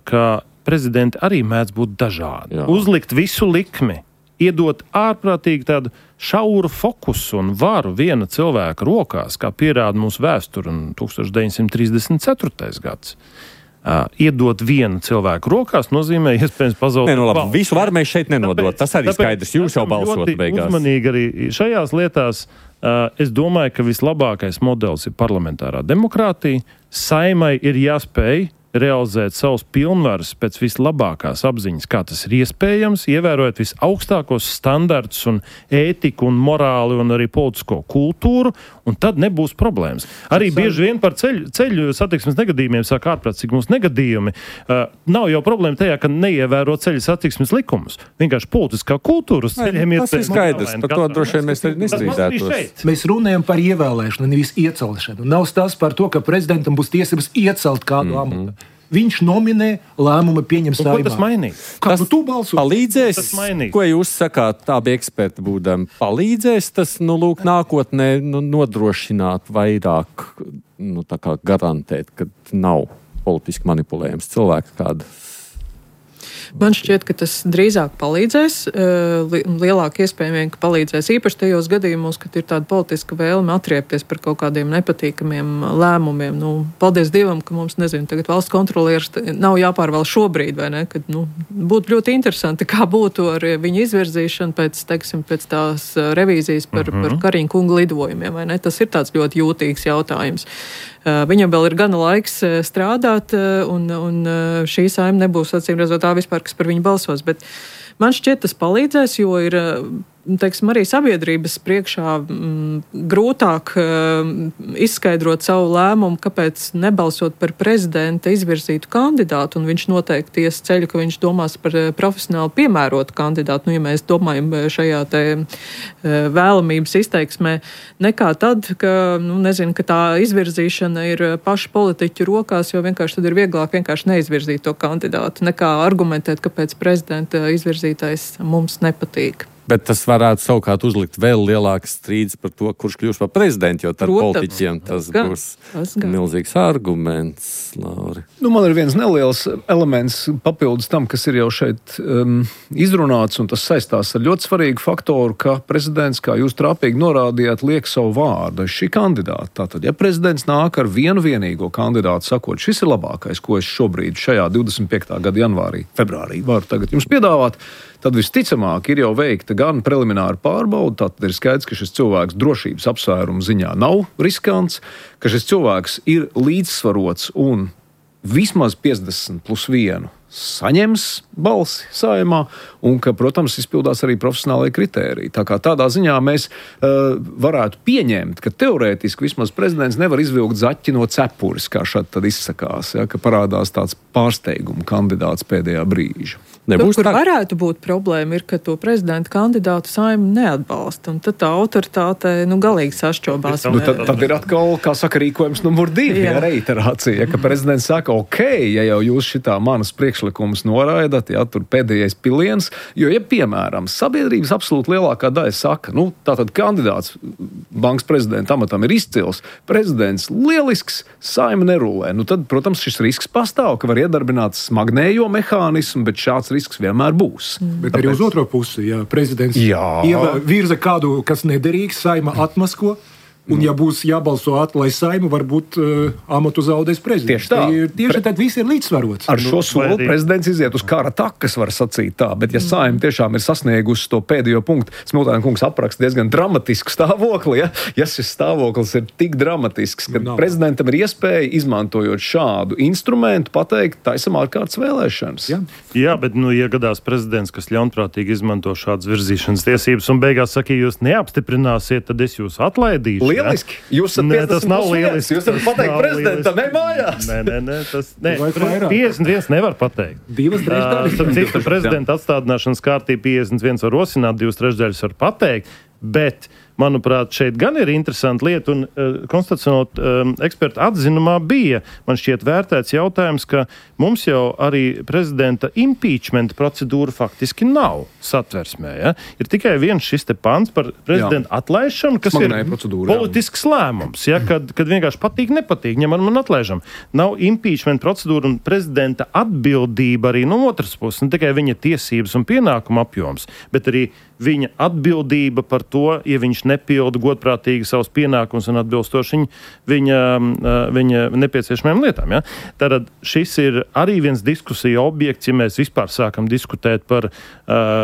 ka prezidenti arī mēdz būt dažādi. Jā. Uzlikt visu likmi, iedot ārprātīgi tādu šauru fokusu un varu viena cilvēka rokās, kā pierāda mūsu vēsture un 1934. gads. Iedot vienu cilvēku rokās nozīmē iespējams pazaudēt. Visu varu mēs šeit nenodot. Tas arī skaidrs. Jūs jau balsot beigās. Uzmanīgi arī šajās lietās. Es domāju, ka vislabākais modelis ir parlamentārā demokrātija. Saeimai ir jāspēj realizēt savus pilnvaras pēc vislabākās apziņas, kā tas ir iespējams, ievērojot visaugstākos standartus un ētiku un morāli un arī politisko kultūru, un tad nebūs problēmas. Arī bieži vien par ceļu satiksmes negadījumiem sāk ārprātīgi mūsu negadījumi. Nav jau problēma tajā, ka neievēro ceļu satiksmes likumus. Vienkārši politiskā kultūra uz ceļiem tas ir skaidrs, par to droši vien mēs arī nestrīdētos. Mēs runājam par ievēlēšanu, nevis iecelšanu. Nav stāsts par to, ka prezidentam būs tiesības iecelt kādu amatu. Viņš nominē, lēmumu pieņem Saeimā. Ko tas mainīs? Kā tu balso? Palīdzēs, ko jūs sakāt, tādi eksperti būdami, palīdzēs tas, nākotnē nodrošināt vairāk, tā kā garantēt, ka nav politiski manipulējams cilvēks kāda? Man šķiet, ka tas drīzāk palīdzēs, lielāk iespējami, ka palīdzēs īpaši tajos gadījumos, kad ir tāda politiska vēlme atriepties par kaut kādiem nepatīkamiem lēmumiem. Paldies Dievam, ka mums, tagad valsts kontrolieris nav jāpārvalda šobrīd, vai ne? Kad, būtu ļoti interesanti, kā būtu ar viņu izvirzīšanu pēc tās revīzijas par Kariņa kunga lidojumiem, vai ne? Tas ir tāds ļoti jūtīgs jautājums. Viņam vēl ir gana laiks strādāt, un šī Saeima nebūs, acīm redzot, tā vispār, kas par viņu balsos. Bet man šķiet, tas palīdzēs, jo ir, arī sabiedrības priekšā grūtāk izskaidrot savu lēmumu, kāpēc nebalsot par prezidenta izvirzītu kandidātu, un viņš noteikti ies ceļu, ka viņš domās par profesionāli piemērotu kandidātu, ja mēs domājam šajā te vēlamības izteiksmē, nekā tad, ka tā izvirzīšana ir pašu politiķu rokās, jo vienkārši tad ir vieglāk vienkārši neizvirzīt to kandidātu, nekā argumentēt, kāpēc prezidenta izvirzītais mums nepatīk. Bet tas varētu savukārt uzlikt vēl lielākas strīdas par to, kurš kļūs par prezidentu, jo ar politiķiem tas būs milzīgs arguments, Lauri. Man ir viens neliels elements papildus tam, kas ir jau šeit izrunāts, un tas saistās ar ļoti svarīgu faktoru, ka prezidents, kā jūs trāpīgi norādījāt, liek savu vārdu šī kandidāta. Tātad, ja prezidents nāk ar vienu vienīgo kandidātu, sakot, šis ir labākais, ko es šobrīd šajā 25. gada februārī varu tagad jums piedāvāt, tad visticamāk ir jau veikta gan prelimināra pārbauda, tātad ir skaidrs, ka šis cilvēks drošības apsvērumu ziņā nav riskants, ka šis cilvēks ir līdzsvarots un vismaz 50+1 saņems balsi Saeimā, un ka, protams, izpildās arī profesionālai kritēriji. Tā kā tādā ziņā mēs varētu pieņemt, ka teorētiski vismaz prezidents nevar izvilkt zaķi no cepures, kā šad tad izsakās, ka parādās tāds pārsteiguma kandidāts pēdējā brīža. Kur varētu būt problēma, ir, ka to prezidenta kandidātu Saeima neatbalsta, un tad tā autoritāte galīgi sašķobās. Tad ir atkal, kā saka, rīkojums numur 2, reiterācija, ka prezidents saka, ok, ja jau jūs šitā manas priekšlikumus noraidat, tur pēdējais piliens, jo, ja, piemēram, sabiedrības absolūti lielākā daļa saka, tātad kandidāts bankas prezidenta amatam ir izcils, prezidents lielisks, Saeima nerulē, tad, protams, šis risks pastāv, ka var iedarbināt smagnējo mehānismu, bet šāds risks vienmēr būs. Bet arī uz otro pusi, ja prezidents virza kādu, kas nederīgs, Saeima atmasko, un ja būs jābalso lai Saeima, varbūt amatu zaudēs prezidents. Tieši tad viss ir līdzsvarots. Ar šo soli prezidents iziet uz kara takas, var sacīt tā, bet ja Saeima tiešām ir sasniegusi to pēdējo punktu, Smiltēna kungs apraksta diezgan dramatisku stāvokli, ja šis stāvoklis ir tik dramatisks, ka prezidentam ir iespēja, izmantojot šādu instrumentu, pateikt, taisam ārkārtas vēlēšanas. Jā, bet, ja gadās prezidents, kas ļaunprātīgi izmanto šādas virzīšanas tiesības un beigās saka, jūs neapstiprināsiet, tad es jūs atlaidīšu. Lieliski. Jūs esat 50+1. Jūs varat pateikt prezidentam, mājās. Nē, 51 nevar pateikt. 2/3. Prezidenta atstādināšanas kārtība 51 var rosināt, 2/3 var pateikt, bet manuprāt, šeit gan ir interesanta lieta, un konstitucionālo ekspertu atzinumā bija, man šķiet, vērtēts jautājums, ka mums jau arī prezidenta impeachment procedūra faktiski nav satversmē. Ja? Ir tikai viens šis te pants par prezidenta atlaišanu, kas ir politisks lēmums, ja? kad vienkārši patīk, nepatīk, ņemam un atlaižam. Nav impeachment procedūra un prezidenta atbildība arī no otras puses, ne tikai viņa tiesības un pienākuma apjoms, bet arī viņa atbildība par to, ja viņš nepilda godprātīgi savus pienākumus un atbilstoši viņa nepieciešamajām lietām. Ja? Tātad šis ir arī viens diskusija objekts, ja mēs vispār sākam diskutēt par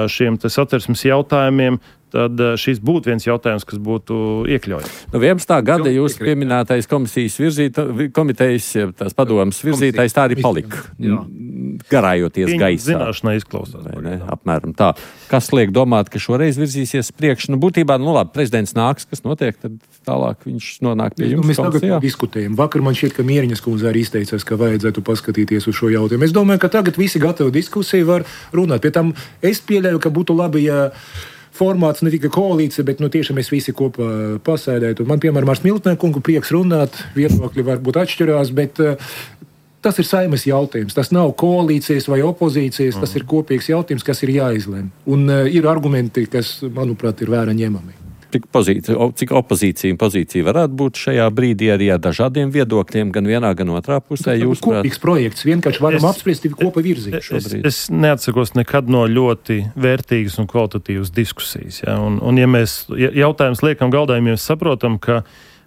šiem satversmes jautājumiem, tad šis būtu viens jautājums, kas būtu iekļaujams. No 11. gada jūs pieminētais komitejas, tās padomas virzītājs tā arī palika. Garājoties gaisā. Zināšanai izklausās. Apmēram tā. Kas liek domāt, ka šoreiz virzīsies priekš? Būtībā, labi, prezidents nāks, kas notiek, tad tālāk viņš nonāk pie jums. Mēs tagad diskutējam. Vakar man šķiet, ka Mieriņas kundze arī izteicās, ka vajadzētu paskatīties uz šo jautājumu. Es domāju, ka tagad visi gatavi diskusiju var runāt. Pie tam es pieļauju, ka būtu labi, ja formāts ne tikai koalīcija, bet tiešām mēs visi kopā pasēdētu. Man, piemēram, ar Smiltēnu kungu prieks runāt, viedokļi varbūt atšķirās, bet tas ir Saeimas jautājums. Tas nav koalīcijas vai opozīcijas, tas ir kopīgs jautājums, kas ir jāizlem. Un ir argumenti, kas, manuprāt, ir vērā ņemami. Cik opozīcija un pozīcija varētu būt šajā brīdī arī ar dažādiem viedokļiem, gan vienā, gan otrā pusē? Tas kopīgs projekts, vienkārši varam apspriest kopā virzīt šobrīd. Es neatsakos nekad no ļoti vērtīgas un kvalitatīvas diskusijas. Ja? Un ja mēs jautājums liekam galdā, ja mēs saprotam, ka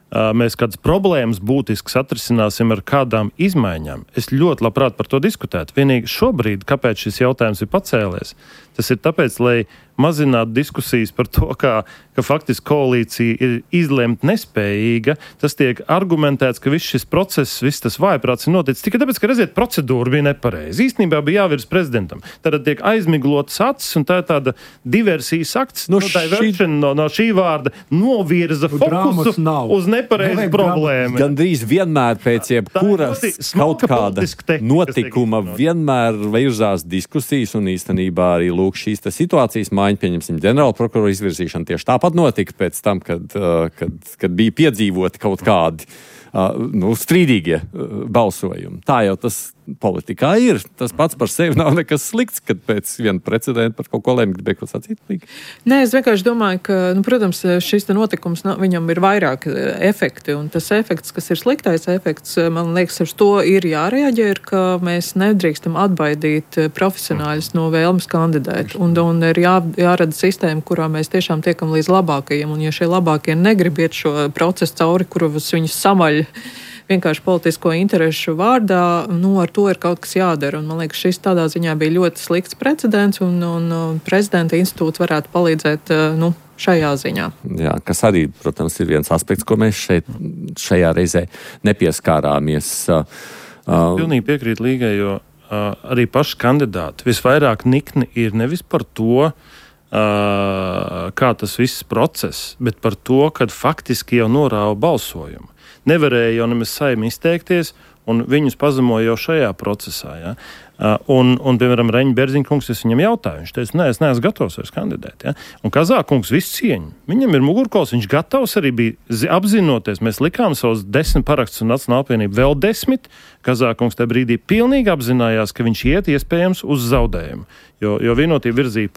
mēs kādas problēmas būtiskas atrisināsim ar kādām izmaiņām. Es ļoti labprāt par to diskutētu. Vienīgi šobrīd, kāpēc šis jautājums ir pacēlies, tas ir tāpēc, lai mazinātu diskusijas par to, ka faktiski koalīcija ir izlemt nespējīga. Tas tiek argumentēts, ka viss šis process, viss tas vājprāts ir noticis tikai tāpēc, ka redziet, procedūra bija nepareiza. Īstenībā bija jāvirs prezidentam. Tad tiek aizmiglotas acis, un tā ir tāda diversijas akts. No šī vārda novirza fokusu uz nepareizu problēmu. Gandrīz vienmēr pēc jebkuras kaut kāda notikuma vienmēr virzās diskusijas, un īstenībā arī lūk šīs situācijas mājiņa, pieņemsim, ģenerāla prokurora izvirzīšana tieši tāpat notika pēc tam, kad bija piedzīvoti kaut kādi strīdīgie balsojumi. Tā jau tas politikā ir. Tas pats par sevi nav nekas slikts, kad pēc viena precedenta par kaut ko lēma, gribēja kaut sacīt. Nē, es vienkārši domāju, ka, protams, šis notikums, viņam ir vairāk efekti, un tas efekts, kas ir sliktais efekts, man liekas, uz to ir jārēģē, ka mēs nedrīkstam atbaidīt profesionāļus no vēlmes kandidēt, un ir jārada sistēma, kurā mēs tiešām tiekam līdz labākajiem, un ja šie labākie negrib iet šo procesu cauri, kurus viņus samaļ vienkārši politisko interešu vārdā, ar to ir kaut kas jādara. Un man liekas, šis tādā ziņā bija ļoti slikts precedents, un prezidenta institūts varētu palīdzēt šajā ziņā. Jā, kas arī, protams, ir viens aspekts, ko mēs šajā reizē nepieskārāmies. Pilnīgi piekrīt Līgai, jo arī paši kandidāti visvairāk nikni ir nevis par to, kā tas viss process, bet par to, kad faktiski jau norāva balsojumu. Nevarēja jau nemaz Saeima izteikties, un viņus pazemoja jau šajā procesā. Ja? Un, piemēram, Reņģa Berziņkungs, es viņam jautāju, viņš teica, nē, es neesmu gatavs vairs kandidēt. Ja? Un Kazākungs visu cieņu. Viņam ir mugurkauls, viņš gatavs arī bija apzinoties. Mēs likām savus 10 parakstus un Nacionāla apvienība vēl 10. Kazākungs tajā brīdī pilnīgi apzinājās, ka viņš iet iespējams uz zaudējumu. Jo Vienotība virzīja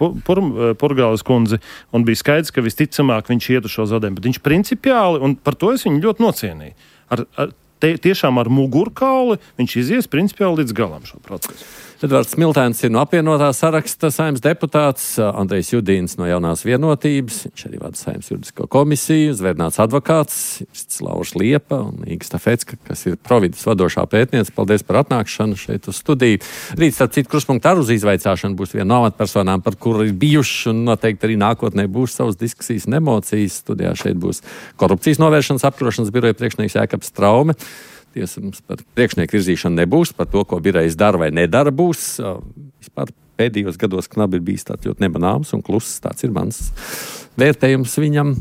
Purgāles kundzi, un bija skaidrs, ka visticamāk viņš iet uz šo zaudējumu. Bet viņš principiāli, un par to es viņu ļoti nocienīju, tiešām ar mugurkauli viņš izies principiāli līdz galam šo procesu. Edvards Smiltēns ir no apvienotā saraksta Saeimas deputāts, Andrejs Judīns no Jaunās vienotības, viņš arī vada Saeimas juridisko komisiju, Zvērnāts advokāts, Lauris Liepa un Īga Stafecka, kas ir Providas vadošā pētniece. Paldies par atnākšanu šeit uz studiju. Rīt, starp citu, Kruspunkta ar uz izvaicāšanu būs viena no amatpersonām, par kuru ir bijuši un noteikti arī nākotnē būs savas diskusijas un emocijas. Studijā šeit būs korupcijas novēršanas apkarošanas biroja priekšnieks Jākaps Traume. Tiesa mums par priekšnieku virzīšanu nebūs, par to, ko birojs dara vai nedara būs. Vispār pēdējos gados knabi ir bijis tāds ļoti nemanāms un kluss, tāds ir mans vērtējums viņam.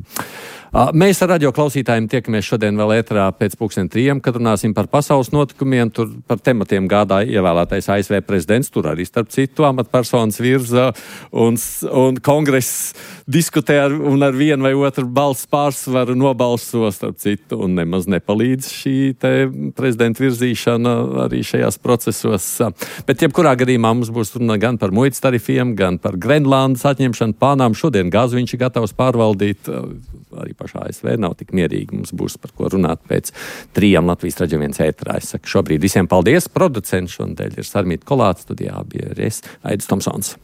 Mēs ar radio klausītājiem tiekamies šodien vēl ēterā pēc 2:00, kad runāsim par pasaules notikumiem. Tur par tematiem gādāja ievēlētais ASV prezidents, tur arī starp citu amatpersonas virza un kongress diskutē un ar vienu vai otru balss pārsvaru nobalso starp citu un nemaz nepalīdz šī te prezidenta virzīšana arī šajās procesos. Bet jebkurā gadījumā mums būs runa gan par muitas tarifiem, gan par Grenlandes atņemšanu plānām. Šodien gāzi viņš ir gatavs pārvaldīt. Arī pašā ASV nav tik mierīgi. Mums būs par ko runāt pēc 3 Latvijas Radio 1 ēterā. Es saku šobrīd visiem paldies. Producents šodien ir Sarmīta Kolāts, studijā bija es, Aidis Tomsons.